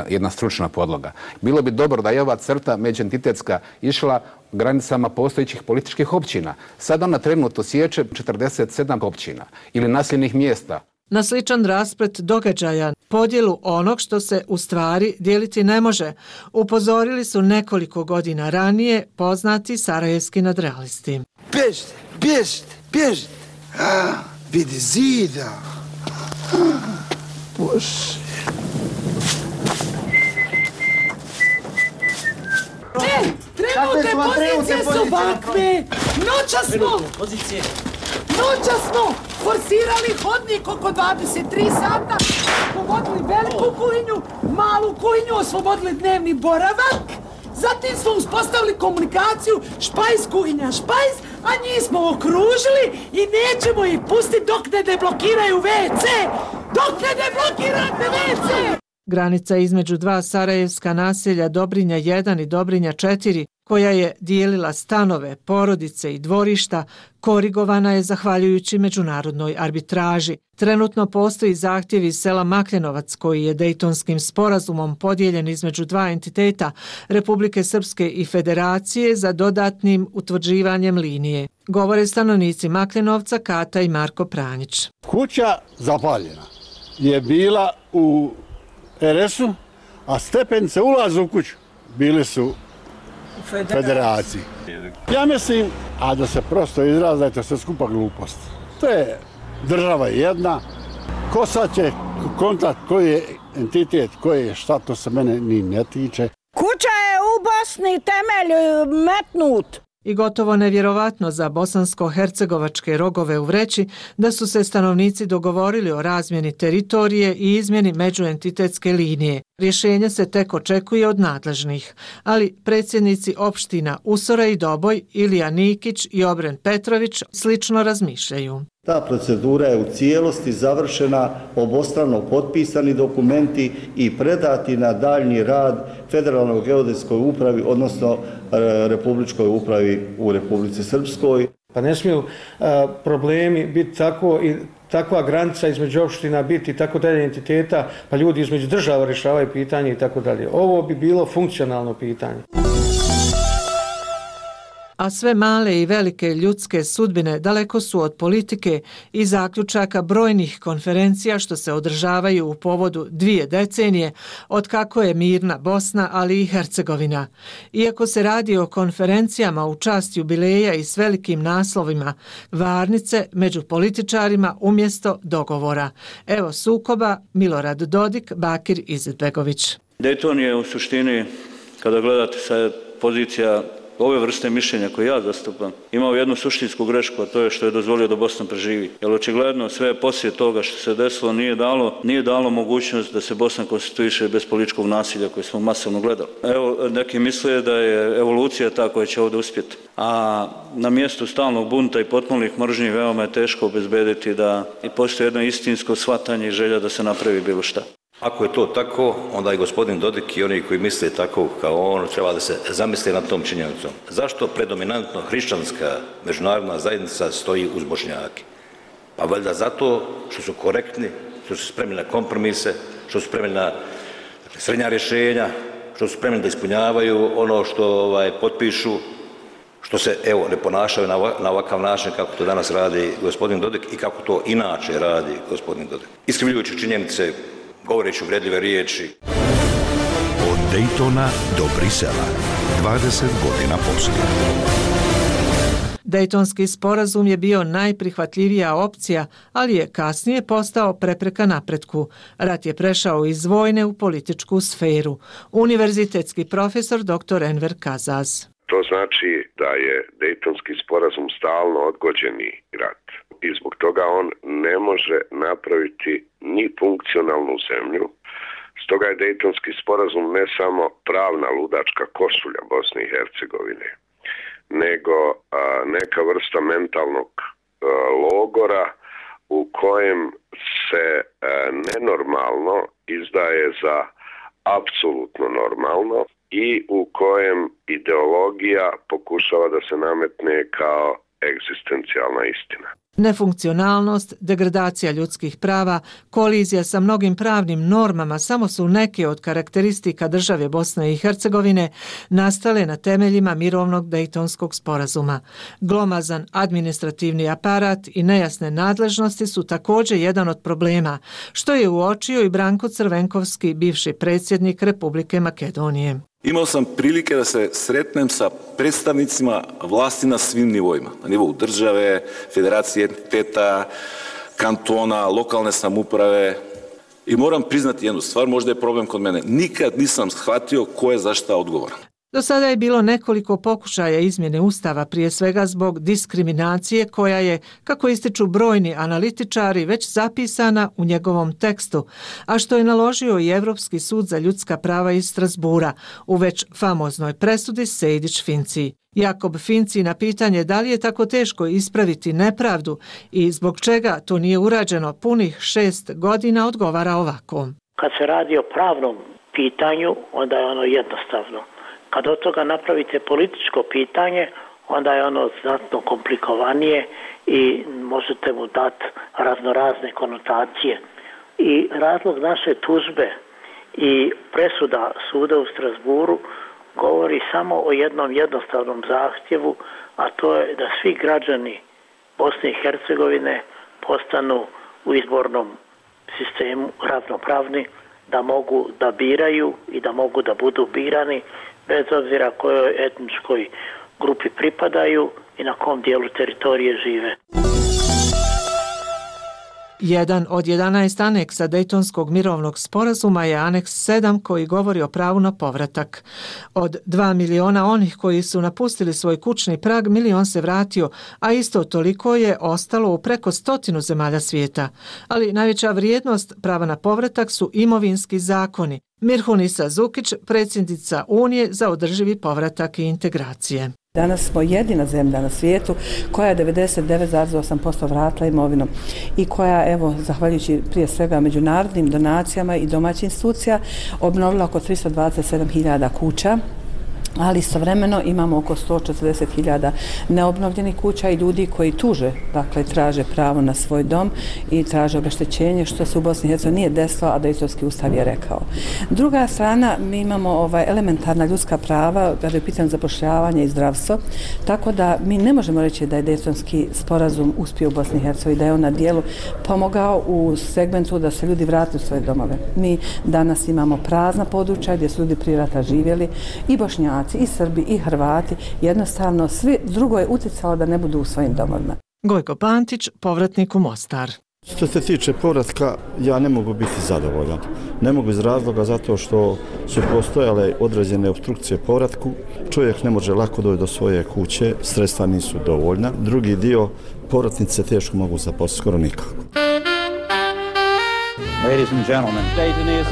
jedna stručna podloga. Bilo bi dobro da je ova crta međuentitetska išla granicama postojećih političkih općina. Sad ona trenutno sječe 47 općina ili naseljenih mjesta. Na sličan rasplet događaja, podjelu onog što se u stvari dijeliti ne može, upozorili su nekoliko godina ranije poznati sarajevski nadrealisti. Bježite, bježite, bježite. Vidi zida. Bože. Trenutne pozicije su ovakve. Noća smo forsirali hodnik oko 23 sata, povodili veliku kuhinju, malu kuhinju, oslobodili dnevni boravak, zatim smo uspostavili komunikaciju špajs, kuhinja, špajs, a njih smo okružili i nećemo ih pustiti dok ne deblokiraju WC! Dok ne deblokirate WC! Granica između dva sarajevska naselja Dobrinja 1 i Dobrinja 4, koja je dijelila stanove, porodice i dvorišta, korigovana je zahvaljujući međunarodnoj arbitraži. Trenutno postoji zahtjev iz sela Makljenovac, koji je Dejtonskim sporazumom podijeljen između dva entiteta, Republike Srpske i Federacije, za dodatnim utvrđivanjem linije. Govore stanovnici Makljenovca, Kata i Marko Pranjić. Kuća zapaljena je bila u RS-u, a stepenice ulaza u kuću bili su Federaciji. Ja mislim, a da se prosto izrazi, da je to sve skupa glupost. To je država jedna. Ko sad će kontakt koji je entitet, koji je šta, to se mene ni ne tiče. Kuća je u Bosni, temelj metnut. I gotovo nevjerovatno za bosansko-hercegovačke rogove u vreći da su se stanovnici dogovorili o razmjeni teritorije i izmjeni međuentitetske linije. Rješenje se tek očekuje od nadležnih, ali predsjednici opština Usora i Doboj, Ilija Nikić i Obren Petrović slično razmišljaju. Ta procedura je u cijelosti završena, obostrano potpisani dokumenti i predati na daljnji rad Federalnoj geodetskoj upravi, odnosno Republičkoj upravi u Republici Srpskoj. Pa ne smiju problemi biti tako i takva granica između opština biti i tako dalje entiteta, pa ljudi između država rješavaju pitanje i tako dalje. Ovo bi bilo funkcionalno pitanje. A sve male i velike ljudske sudbine daleko su od politike i zaključaka brojnih konferencija što se održavaju u povodu 2 decenije od kako je mirna Bosna, ali i Hercegovina. Iako se radi o konferencijama u čast jubileja i s velikim naslovima, varnice među političarima umjesto dogovora. Evo sukoba Milorad Dodik, Bakir Izetbegović. Dejton je u suštini, kada gledate sa pozicija ove vrste mišljenja koje ja zastupam imao jednu suštinsku grešku, a to je što je dozvolio da Bosna preživi. Jer očigledno sve poslije toga što se desilo nije dalo mogućnost da se Bosna konstituiše bez političkog nasilja koje smo masovno gledali. Evo, neki misle da je evolucija ta koja će ovdje uspjeti. A na mjestu stalnog bunta i potpunnih mržnji veoma je teško obezbediti da i postoji jedno istinsko shvatanje i želja da se napravi bilo šta. Ako je to tako, onda i gospodin Dodik i oni koji misle tako kao on treba da se zamisle nad tom činjenicom. Zašto predominantno hrišćanska međunarodna zajednica stoji uz Bošnjake? Pa valjda zato što su korektni, što su spremni na kompromise, što su spremni na srednja rješenja, što su spremni da ispunjavaju ono što potpišu, što se ne ponašaju na ovakav način kako to danas radi gospodin Dodik i kako to inače radi gospodin Dodik. Iskrivljujući činjenice, govoreći uvredljive riječi. Od Daytona do Brisela, 20 godina poslije. Dejtonski sporazum je bio najprihvatljivija opcija, ali je kasnije postao prepreka napretku. Rat je prešao iz vojne u političku sferu. Univerzitetski profesor dr. Enver Kazaz. To znači da je Dejtonski sporazum stalno odgođeni rat. I zbog toga on ne može napraviti ni funkcionalnu zemlju. Stoga je Dejtonski sporazum ne samo pravna ludačka košulja Bosne i Hercegovine, nego neka vrsta mentalnog logora u kojem se nenormalno izdaje za apsolutno normalno i u kojem ideologija pokušava da se nametne kao egzistencijalna istina. Nefunkcionalnost, degradacija ljudskih prava, kolizija sa mnogim pravnim normama samo su neke od karakteristika države Bosne i Hercegovine nastale na temeljima mirovnog Dejtonskog sporazuma. Glomazan administrativni aparat i nejasne nadležnosti su također jedan od problema, što je uočio i Branko Crvenkovski, bivši predsjednik Republike Makedonije. Imao sam prilike da se sretnem sa predstavnicima vlasti na svim nivoima. Na nivou države, federacije entiteta, kantona, lokalne samouprave. I moram priznati jednu stvar, možda je problem kod mene. Nikad nisam shvatio ko je za šta odgovoran. Do sada je bilo nekoliko pokušaja izmjene Ustava, prije svega zbog diskriminacije koja je, kako ističu brojni analitičari, već zapisana u njegovom tekstu, a što je naložio i Europski sud za ljudska prava iz Strasbura u već famoznoj presudi Sejdić-Finci. Jakob Finci na pitanje da li je tako teško ispraviti nepravdu i zbog čega to nije urađeno punih 6 godina odgovara ovako. Kad se radi o pravnom pitanju, onda je ono jednostavno. Kad od toga napravite političko pitanje, onda je ono znatno komplikovanije i možete mu dati raznorazne konotacije. I razlog naše tužbe i presuda suda u Strasburu govori samo o jednom jednostavnom zahtjevu, a to je da svi građani Bosne i Hercegovine postanu u izbornom sistemu ravnopravni, da mogu da biraju i da mogu da budu birani bez obzira kojoj etničkoj grupi pripadaju i na kom dijelu teritorije žive. Jedan od 11 aneksa Dejtonskog mirovnog sporazuma je aneks 7 koji govori o pravu na povratak. Od 2 miliona onih koji su napustili svoj kućni prag, milion se vratio, a isto toliko je ostalo u preko 100 zemalja svijeta. Ali najveća vrijednost prava na povratak su imovinski zakoni. Mirhunisa Zukić, predsjednica Unije za održivi povratak i integracije. Danas smo jedina zemlja na svijetu koja je 99,8% vratila imovinom i koja, evo, zahvaljujući prije svega međunarodnim donacijama i domaćih institucija, obnovila oko 327.000 kuća, ali istovremeno imamo oko 140.000 neobnovljenih kuća i ljudi koji tuže, dakle traže pravo na svoj dom i traže obeštećenje, što se u Bosni i Hercegovini nije desilo, a Dejtonski ustav je rekao. Druga strana, mi imamo elementarna ljudska prava kada je pitanje zapošljavanja i zdravstvo, tako da mi ne možemo reći da je Dejtonski sporazum uspio u Bosni i Hercegovini, da je on na dijelu pomogao u segmentu da se ljudi vrate u svoje domove. Mi danas imamo prazna područja gdje su ljudi prije rata živjeli i Bošnjaci, i Srbi, i Hrvati, jednostavno svi drugo je utjecalo da ne budu u svojim domovima. Gojko Pantić, povratnik u Mostar. Što se tiče povratka, ja ne mogu biti zadovoljan. Ne mogu iz razloga zato što su postojale određene opstrukcije povratku. Čovjek ne može lako doći do svoje kuće, sredstva nisu dovoljna. Drugi dio, povratnice teško mogu zaposliti, skoro nikako.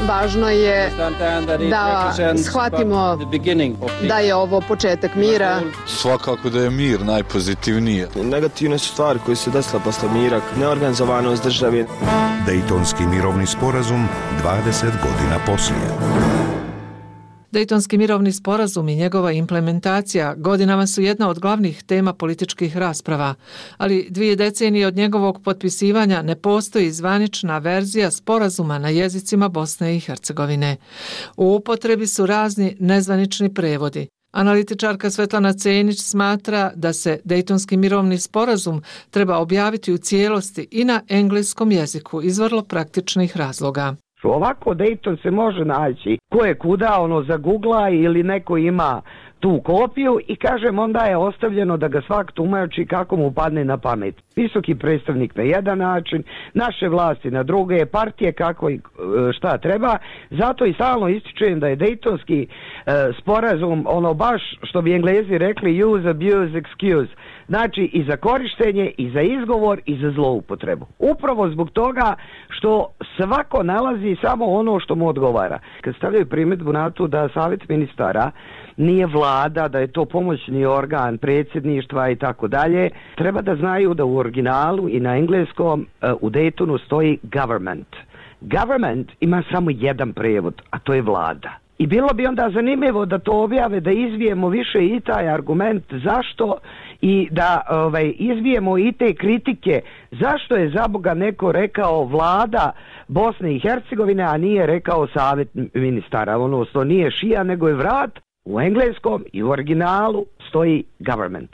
Važno je da shvatimo da je ovo početak mira. Svakako da je mir najpozitivnije. Negativne su stvari koje se desile posle mira, neorganizovanost države. Dejtonski mirovni sporazum 20 godina poslije. Dejtonski mirovni sporazum i njegova implementacija godinama su jedna od glavnih tema političkih rasprava, ali 2 decenije od njegovog potpisivanja ne postoji zvanična verzija sporazuma na jezicima Bosne i Hercegovine. U upotrebi su razni nezvanični prevodi. Analitičarka Svetlana Cenić smatra da se Dejtonski mirovni sporazum treba objaviti u cijelosti i na engleskom jeziku iz vrlo praktičnih razloga. Ovako Dayton se može naći ko je kuda, zagugla ili neko ima tu kopiju i kažem onda je ostavljeno da ga svak tumači kako mu padne na pamet. Visoki predstavnik na jedan način, naše vlasti na druge, partije kako i šta treba. Zato i stalno ističujem da je Dejtonski sporazum baš što bi Englezi rekli use, abuse, excuse. Znači i za korištenje, i za izgovor, i za zloupotrebu. Upravo zbog toga što svako nalazi samo ono što mu odgovara. Kad stavljaju primjedbu na to da savjet ministara nije vlada, da je to pomoćni organ predsjedništva i tako dalje, treba da znaju da u originalu i na engleskom u Daytonu stoji government. Government ima samo jedan prevod, a to je vlada. I bilo bi onda zanimljivo da to objave, da izvijemo više i taj argument zašto i da izvijemo i te kritike zašto je za Boga neko rekao vlada Bosne i Hercegovine, a nije rekao savjet ministara. To nije šija nego je vrat. U engleskom i u originalu stoji government.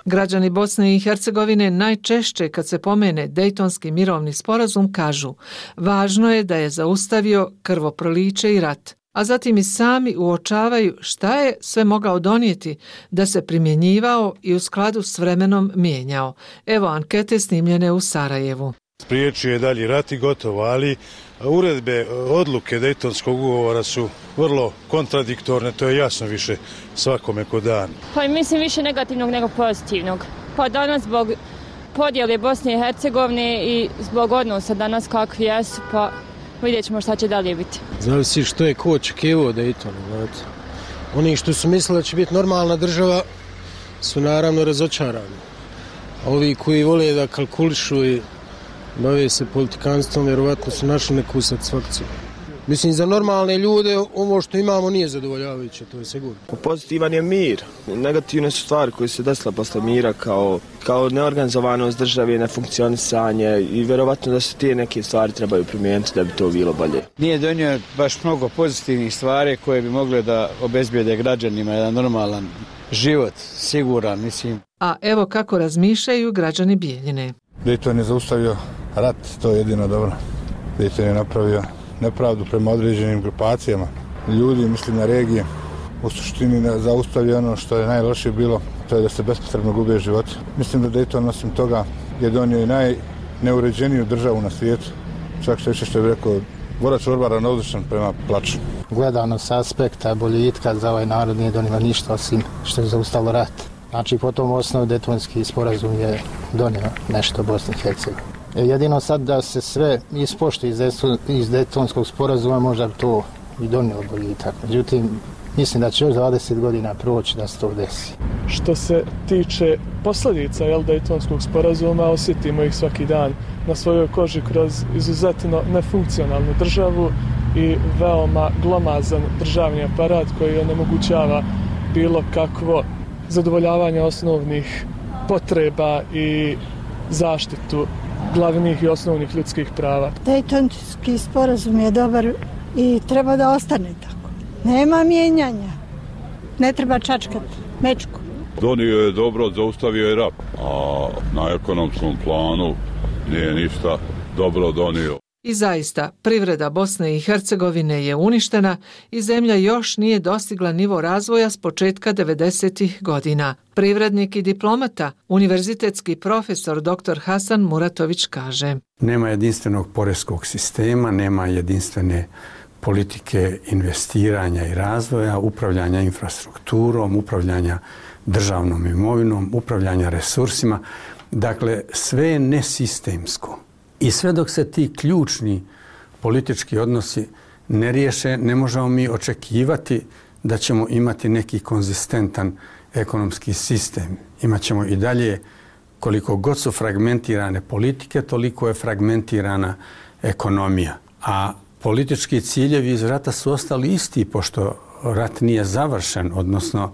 Građani Bosne i Hercegovine najčešće kad se pomene Dejtonski mirovni sporazum kažu važno je da je zaustavio krvoproliće i rat, a zatim i sami uočavaju šta je sve mogao donijeti da se primjenjivao i u skladu s vremenom mijenjao. Evo ankete snimljene u Sarajevu. Spriječio je dalji rat i gotovo, ali uredbe, odluke Dejtonskog ugovora su vrlo kontradiktorne, to je jasno više svakome ko dan. Pa mislim više negativnog nego pozitivnog. Pa danas zbog podjele Bosne i Hercegovine i zbog odnosa danas kakvi jesu, pa vidjet ćemo šta će dalje biti. Zavisi što je ko očekivao Dejtonu. Oni što su mislili da će biti normalna država su naravno razočarani. A ovi koji vole da kalkulišu i bave se politikanstvom, vjerovatno su našli neku satisfakciju. Mislim, za normalne ljude ovo što imamo nije zadovoljavajuće, to je sigurno. Pozitivan je mir. Negativne su stvari koje se desile posle mira kao neorganizovanost države, nefunkcionisanje i vjerovatno da se te neke stvari trebaju primijeniti da bi to bilo bolje. Nije donio baš mnogo pozitivnih stvari koje bi mogle da obezbijede građanima jedan normalan život, siguran, mislim. A evo kako razmišljaju građani Bijeljine. Dejton je zaustavio rat, to je jedino dobro. Dejton je napravio nepravdu prema određenim grupacijama. Ljudi, mislim na regije, u suštini zaustavio ono što je najlošije bilo, to je da se bespotrebno gube životi. Mislim da Dejton osim toga je donio i najneuređeniju državu na svijetu. Čak što je rekao, Vorač Orba ravnodušan prema plaču. Gledano s aspekta boljitka za ovaj narod nije donijela ništa osim što je zaustavilo rat. Znači, po tom osnovu Dejtonski sporazum je donio nešto Bosni i Hercegovini. Jedino sad da se sve ispoštuje iz Dejtonskog sporazuma, možda bi to i donio boljitak. Međutim, mislim da će još 20 godina proći da se to desi. Što se tiče posljedica Dejtonskog sporazuma, osjetimo ih svaki dan na svojoj koži kroz izuzetno nefunkcionalnu državu i veoma glomazan državni aparat koji onemogućava bilo kakvo zadovoljavanje osnovnih potreba i zaštitu glavnih i osnovnih ljudskih prava. Dejtonski sporazum je dobar i treba da ostane tako. Nema mijenjanja. Ne treba čačkati mečku. Donio je dobro, zaustavio je rat, a na ekonomskom planu nije ništa dobro donio. I zaista, privreda Bosne i Hercegovine je uništena i zemlja još nije dostigla nivo razvoja s početka 90. godina. Privrednik i diplomata, univerzitetski profesor dr. Hasan Muratović kaže: Nema jedinstvenog poreskog sistema, nema jedinstvene politike investiranja i razvoja, upravljanja infrastrukturom, upravljanja državnom imovinom, upravljanja resursima. Dakle, sve je nesistemsko. I sve dok se ti ključni politički odnosi ne riješe, ne možemo mi očekivati da ćemo imati neki konzistentan ekonomski sistem. Imaćemo i dalje, koliko god su fragmentirane politike, toliko je fragmentirana ekonomija. A politički ciljevi iz rata su ostali isti, pošto rat nije završen, odnosno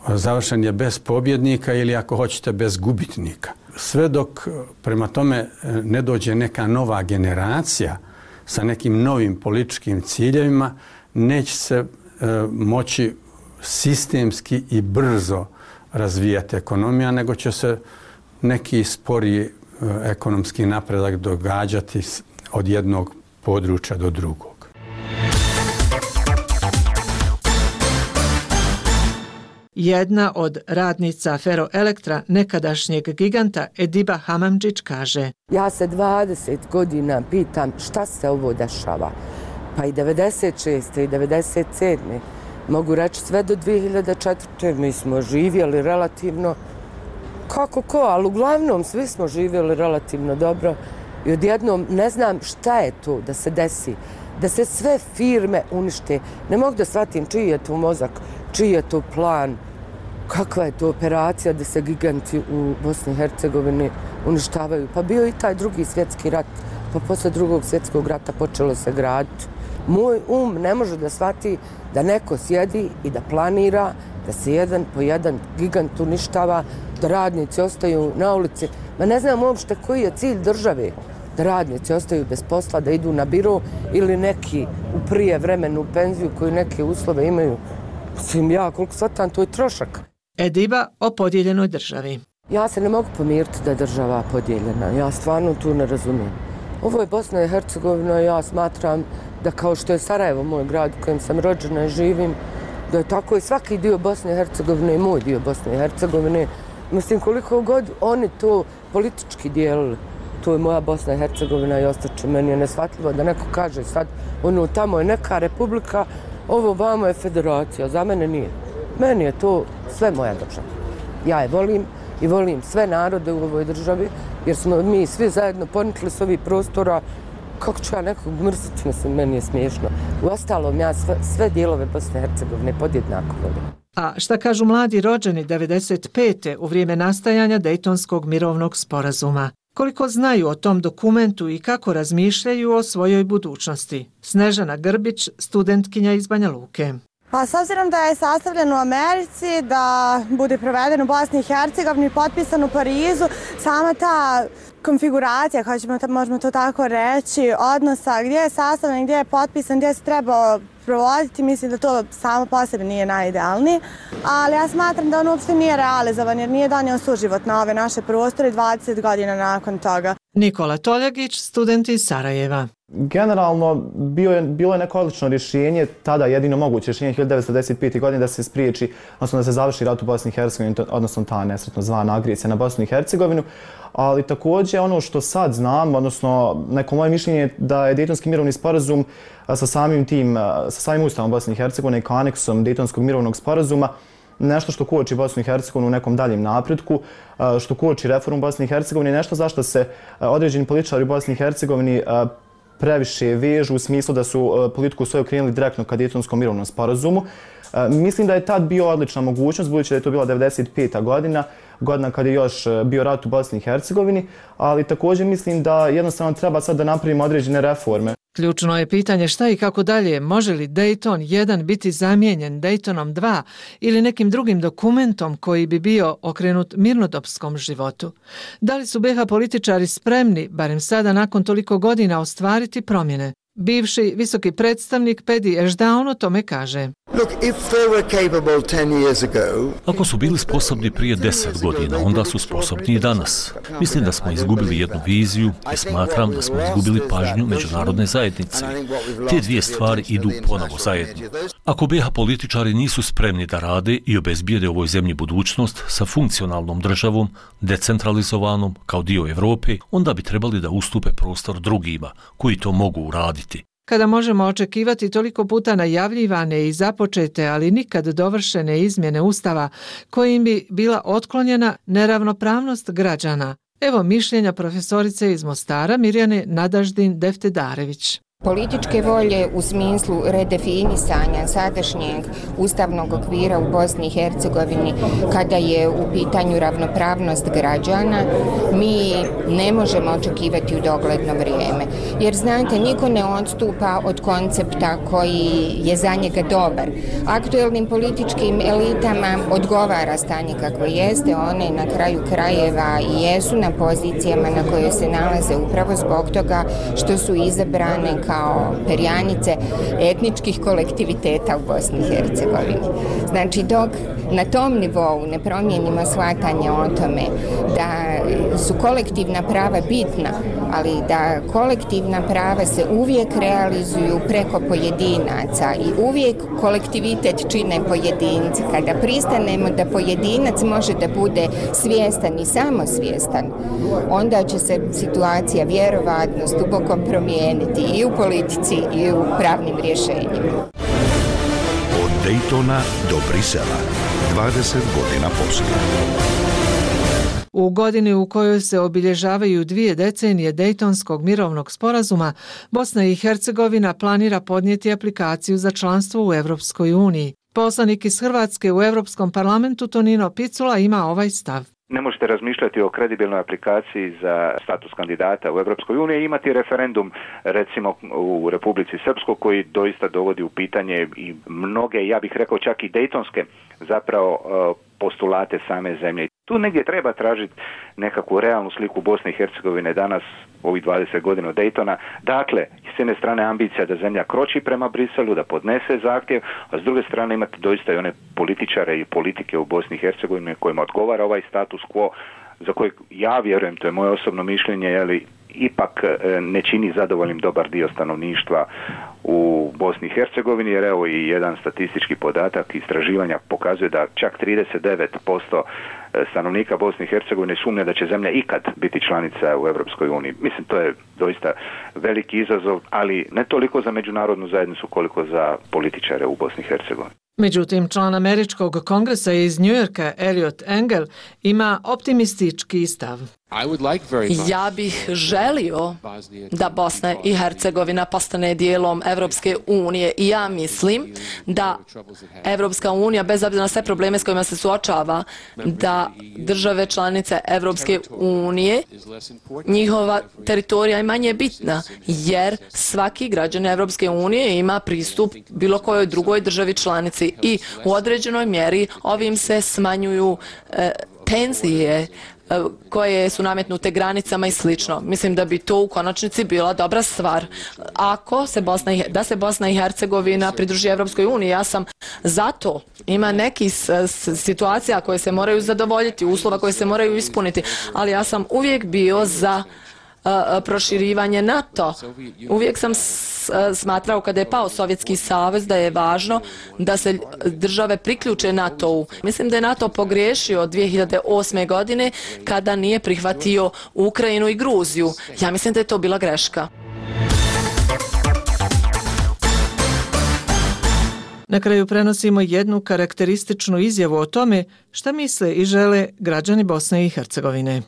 završen je bez pobjednika ili, ako hoćete, bez gubitnika. Sve dok prema tome ne dođe neka nova generacija sa nekim novim političkim ciljevima, neće se moći sistemski i brzo razvijati ekonomija, nego će se neki sporiji ekonomski napredak događati od jednog područja do drugog. Jedna od radnica Feroelektra, nekadašnjeg giganta Ediba Hamamdžić, kaže: Ja se 20 godina pitam šta se ovo dešava. Pa i 96. i 97. Mogu reći sve do 2004. Mi smo živjeli relativno kako ko, ali uglavnom svi smo živjeli relativno dobro. I odjednom ne znam šta je to da se desi, da se sve firme unište. Ne mogu da shvatim čiji je to mozak, čiji je to plan, kakva je to operacija da se giganti u Bosni i Hercegovini uništavaju. Pa bio i taj drugi svjetski rat, pa posle drugog svjetskog rata počelo se graditi. Moj ne može da shvati da neko sjedi i da planira, da se jedan po jedan gigant uništava, da radnici ostaju na ulici. Ma ne znam uopšte koji je cilj države. Da radnici ostaju bez posla, da idu na biro ili neki u prije vremenu u penziju koji neke uslove imaju. Mislim, ja koliko shvatam, to je trošak. Ediba o podijeljenoj državi. Ja se ne mogu pomiriti da je država podijeljena. Ja stvarno tu ne razumijem. Ovo je Bosna i Hercegovina i ja smatram da kao što je Sarajevo, moj grad u kojem sam rođena i živim, da je tako i svaki dio Bosne i Hercegovine i moj dio Bosne i Hercegovine. Mislim, koliko god oni to politički dijelili, to je moja Bosna i Hercegovina i ostaće. Meni je neshvatljivo da neko kaže sad, ono, tamo je neka republika, ovo vamo je federacija, za mene nije. Meni je to sve moja država. Ja je volim i volim sve narode u ovoj državi, jer smo mi svi zajedno ponikli s ovih prostora. Kako ću ja nekog mrziti, mislim, meni je smiješno. Uostalom, ja sve dijelove Bosne i Hercegovine podjednako volim. A šta kažu mladi rođeni 95. u vrijeme nastajanja Dejtonskog mirovnog sporazuma? Koliko znaju o tom dokumentu i kako razmišljaju o svojoj budućnosti? Snežana Grbić, studentkinja iz Banja Luke. Pa s obzirom da je sastavljen u Americi, da bude proveden u Bosni i Hercegovini, potpisan u Parizu, sama ta konfiguracija, možemo to tako reći, odnosa gdje je sastavljen, gdje je potpisan, gdje se treba provoditi, mislim da to samo po sebi nije najidealniji, ali ja smatram da on uopšte nije realizovan jer nije donio suživot na ove naše prostore 20 godina nakon toga. Nikola Toljagić, student iz Sarajeva. Generalno, bilo je neko odlično rješenje, tada jedino moguće rješenje 1995. godine da se spriječi, odnosno da se završi rat u Bosni i Hercegovini, odnosno ta nesretno zvana agresija na Bosnu i Hercegovinu. Ali također ono što sad znam, odnosno neko moje mišljenje je da je Dejtonski mirovni sporazum sa samim Ustavom Bosne i Hercegovine i kao aneksom Dejtonskog mirovnog sporazuma nešto što koči Bosnu i Hercegovinu u nekom daljem napretku, što koči reformu Bosne i Hercegovine, nešto zašto se određeni političari u Bosni i Hercegovini previše vežu u smislu da su politiku svoju krenuli direktno ka Dejtonskom mirovnom sporazumu. Mislim da je tad bio odlična mogućnost, budući da je to bila 95. godina kada je još bio rat u Bosni i Hercegovini, ali također mislim da jednostavno treba sad da napravimo određene reforme. Ključno je pitanje šta i kako dalje, može li Dejton 1 biti zamijenjen Dejtonom 2 ili nekim drugim dokumentom koji bi bio okrenut mirnodopskom životu. Da li su BiH političari spremni, barem sada nakon toliko godina, ostvariti promjene? Bivši visoki predstavnik Pedi Ešdaun o tome kaže. Ako su bili sposobni prije 10 godina, onda su sposobni i danas. Mislim da smo izgubili jednu viziju i smatram da smo izgubili pažnju međunarodne zajednice. Te dvije stvari idu ponovo zajedno. Ako BiH političari nisu spremni da rade i obezbijede ovoj zemlji budućnost sa funkcionalnom državom, decentralizovanom kao dio Europe, onda bi trebali da ustupe prostor drugima koji to mogu uraditi. Kada možemo očekivati toliko puta najavljivane i započete, ali nikad dovršene izmjene Ustava, kojim bi bila otklonjena neravnopravnost građana? Evo mišljenja profesorice iz Mostara Mirjane Nadaždin Deftedarević. Političke volje u smislu redefinisanja sadašnjeg ustavnog okvira u Bosni i Hercegovini kada je u pitanju ravnopravnost građana, mi ne možemo očekivati u dogledno vrijeme. Jer znate, niko ne odstupa od koncepta koji je za njega dobar. Aktuelnim političkim elitama odgovara stanje kakvo jeste, one na kraju krajeva i jesu na pozicijama na koje se nalaze upravo zbog toga što su izabrane kao perjanice etničkih kolektiviteta u Bosni i Hercegovini. Znači, dok na tom nivou ne promijenimo shvatanje o tome da su kolektivna prava bitna, ali da kolektivna prava se uvijek realizuju preko pojedinaca i uvijek kolektivitet čine pojedinci. Kada pristanemo da pojedinac može da bude svjestan i samosvjestan, onda će se situacija vjerovatno s dubokom promijeniti i u politici i u pravnim rješenjima. Od Daytona do Brisela, 20 godina poslije. U godini u kojoj se obilježavaju 2 decenije Dejtonskog mirovnog sporazuma, Bosna i Hercegovina planira podnijeti aplikaciju za članstvo u Europskoj uniji. Poslanik iz Hrvatske u Europskom parlamentu Tonino Picula ima ovaj stav. Ne možete razmišljati o kredibilnoj aplikaciji za status kandidata u Europskoj uniji i imati referendum recimo u Republici Srpskoj koji doista dovodi u pitanje i mnoge, ja bih rekao čak i dejtonske zapravo postulate same zemlje. Tu negdje treba tražiti nekakvu realnu sliku Bosne i Hercegovine danas, ovih 20 godina od Daytona. Dakle, s jedne strane ambicija da zemlja kroči prema Briselu, da podnese zahtjev, a s druge strane imate doista i one političare i politike u Bosni i Hercegovini kojima odgovara ovaj status quo, za kojeg ja vjerujem, to je moje osobno mišljenje, ali ipak ne čini zadovoljnim dobar dio stanovništva u Bosni i Hercegovini, jer evo i jedan statistički podatak istraživanja pokazuje da čak 39% stanovnika Bosne i Hercegovine sumnja da će zemlja ikad biti članica u Europskoj uniji. Mislim, to je doista veliki izazov, ali ne toliko za međunarodnu zajednicu koliko za političare u Bosni i Hercegovini. Međutim, član Američkog kongresa iz Njujorka, Elliot Engel, ima optimistički stav. Ja bih želio da Bosna i Hercegovina postane dijelom Evropske unije i ja mislim da Evropska unija, bez obzira na sve probleme s kojima se suočava, da države članice Evropske unije, njihova teritorija je manje bitna, jer svaki građan Evropske unije ima pristup bilo kojoj drugoj državi članici i u određenoj mjeri ovim se smanjuju tenzije koje su nametnute granicama i slično. Mislim da bi to u konačnici bila dobra stvar. Ako se Bosna i Hercegovina pridruži Evropskoj uniji, ja sam za to. Ima nekih situacija koje se moraju zadovoljiti, uslova koje se moraju ispuniti, ali ja sam uvijek bio za proširivanje NATO. Uvijek sam smatrao kada je pao Sovjetski savez da je važno da se države priključe NATO-u. Mislim da je NATO pogriješio 2008. godine kada nije prihvatio Ukrajinu i Gruziju. Ja mislim da je to bila greška. Na kraju prenosimo jednu karakterističnu izjavu o tome šta misle i žele građani Bosne i Hercegovine.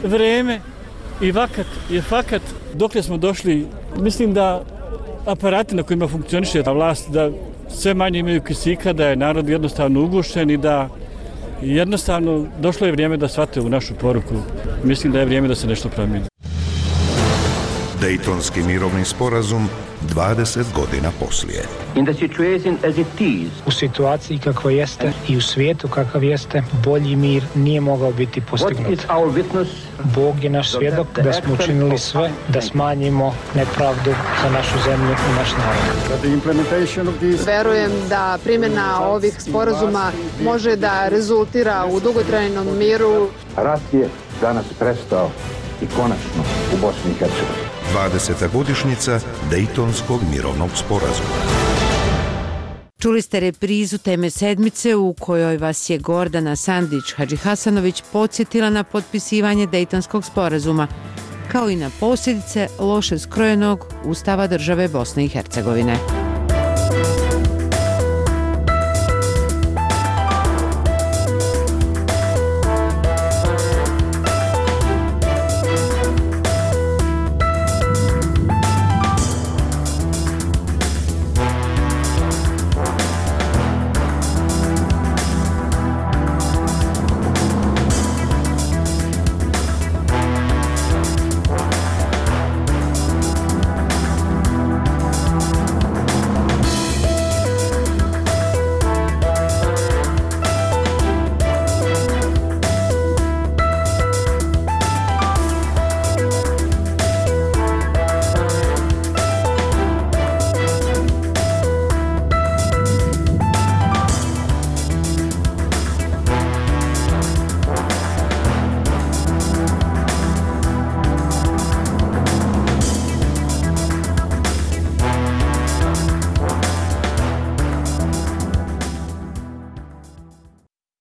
Vreme i vakat je fakat. Dokle smo došli, mislim da aparati na kojima funkcioniše vlast, da sve manje imaju kisika, da je narod jednostavno ugušen i da jednostavno došlo je vrijeme da shvate u našu poruku. Mislim da je vrijeme da se nešto promijeni. Dejtonski mirovni sporazum 20 godina poslije. U situaciji kakva jeste i u svijetu kakav jeste, bolji mir nije mogao biti postignut. Bog je naš svjedok da smo učinili sve da smanjimo nepravdu za našu zemlju i naš narod. Verujem da primjena ovih sporazuma može da rezultira u dugotrajnom miru. Rat je danas prestao i konačno u Bosni i Hercegovini. 20. godišnjica Dejtonskog mirovnog sporazuma. Čuli ste reprizu teme sedmice u kojoj vas je Gordana Sandić Hadžihasanović podsjetila na potpisivanje Dejtonskog sporazuma, kao i na posljedice loše skrojenog Ustava države Bosne i Hercegovine.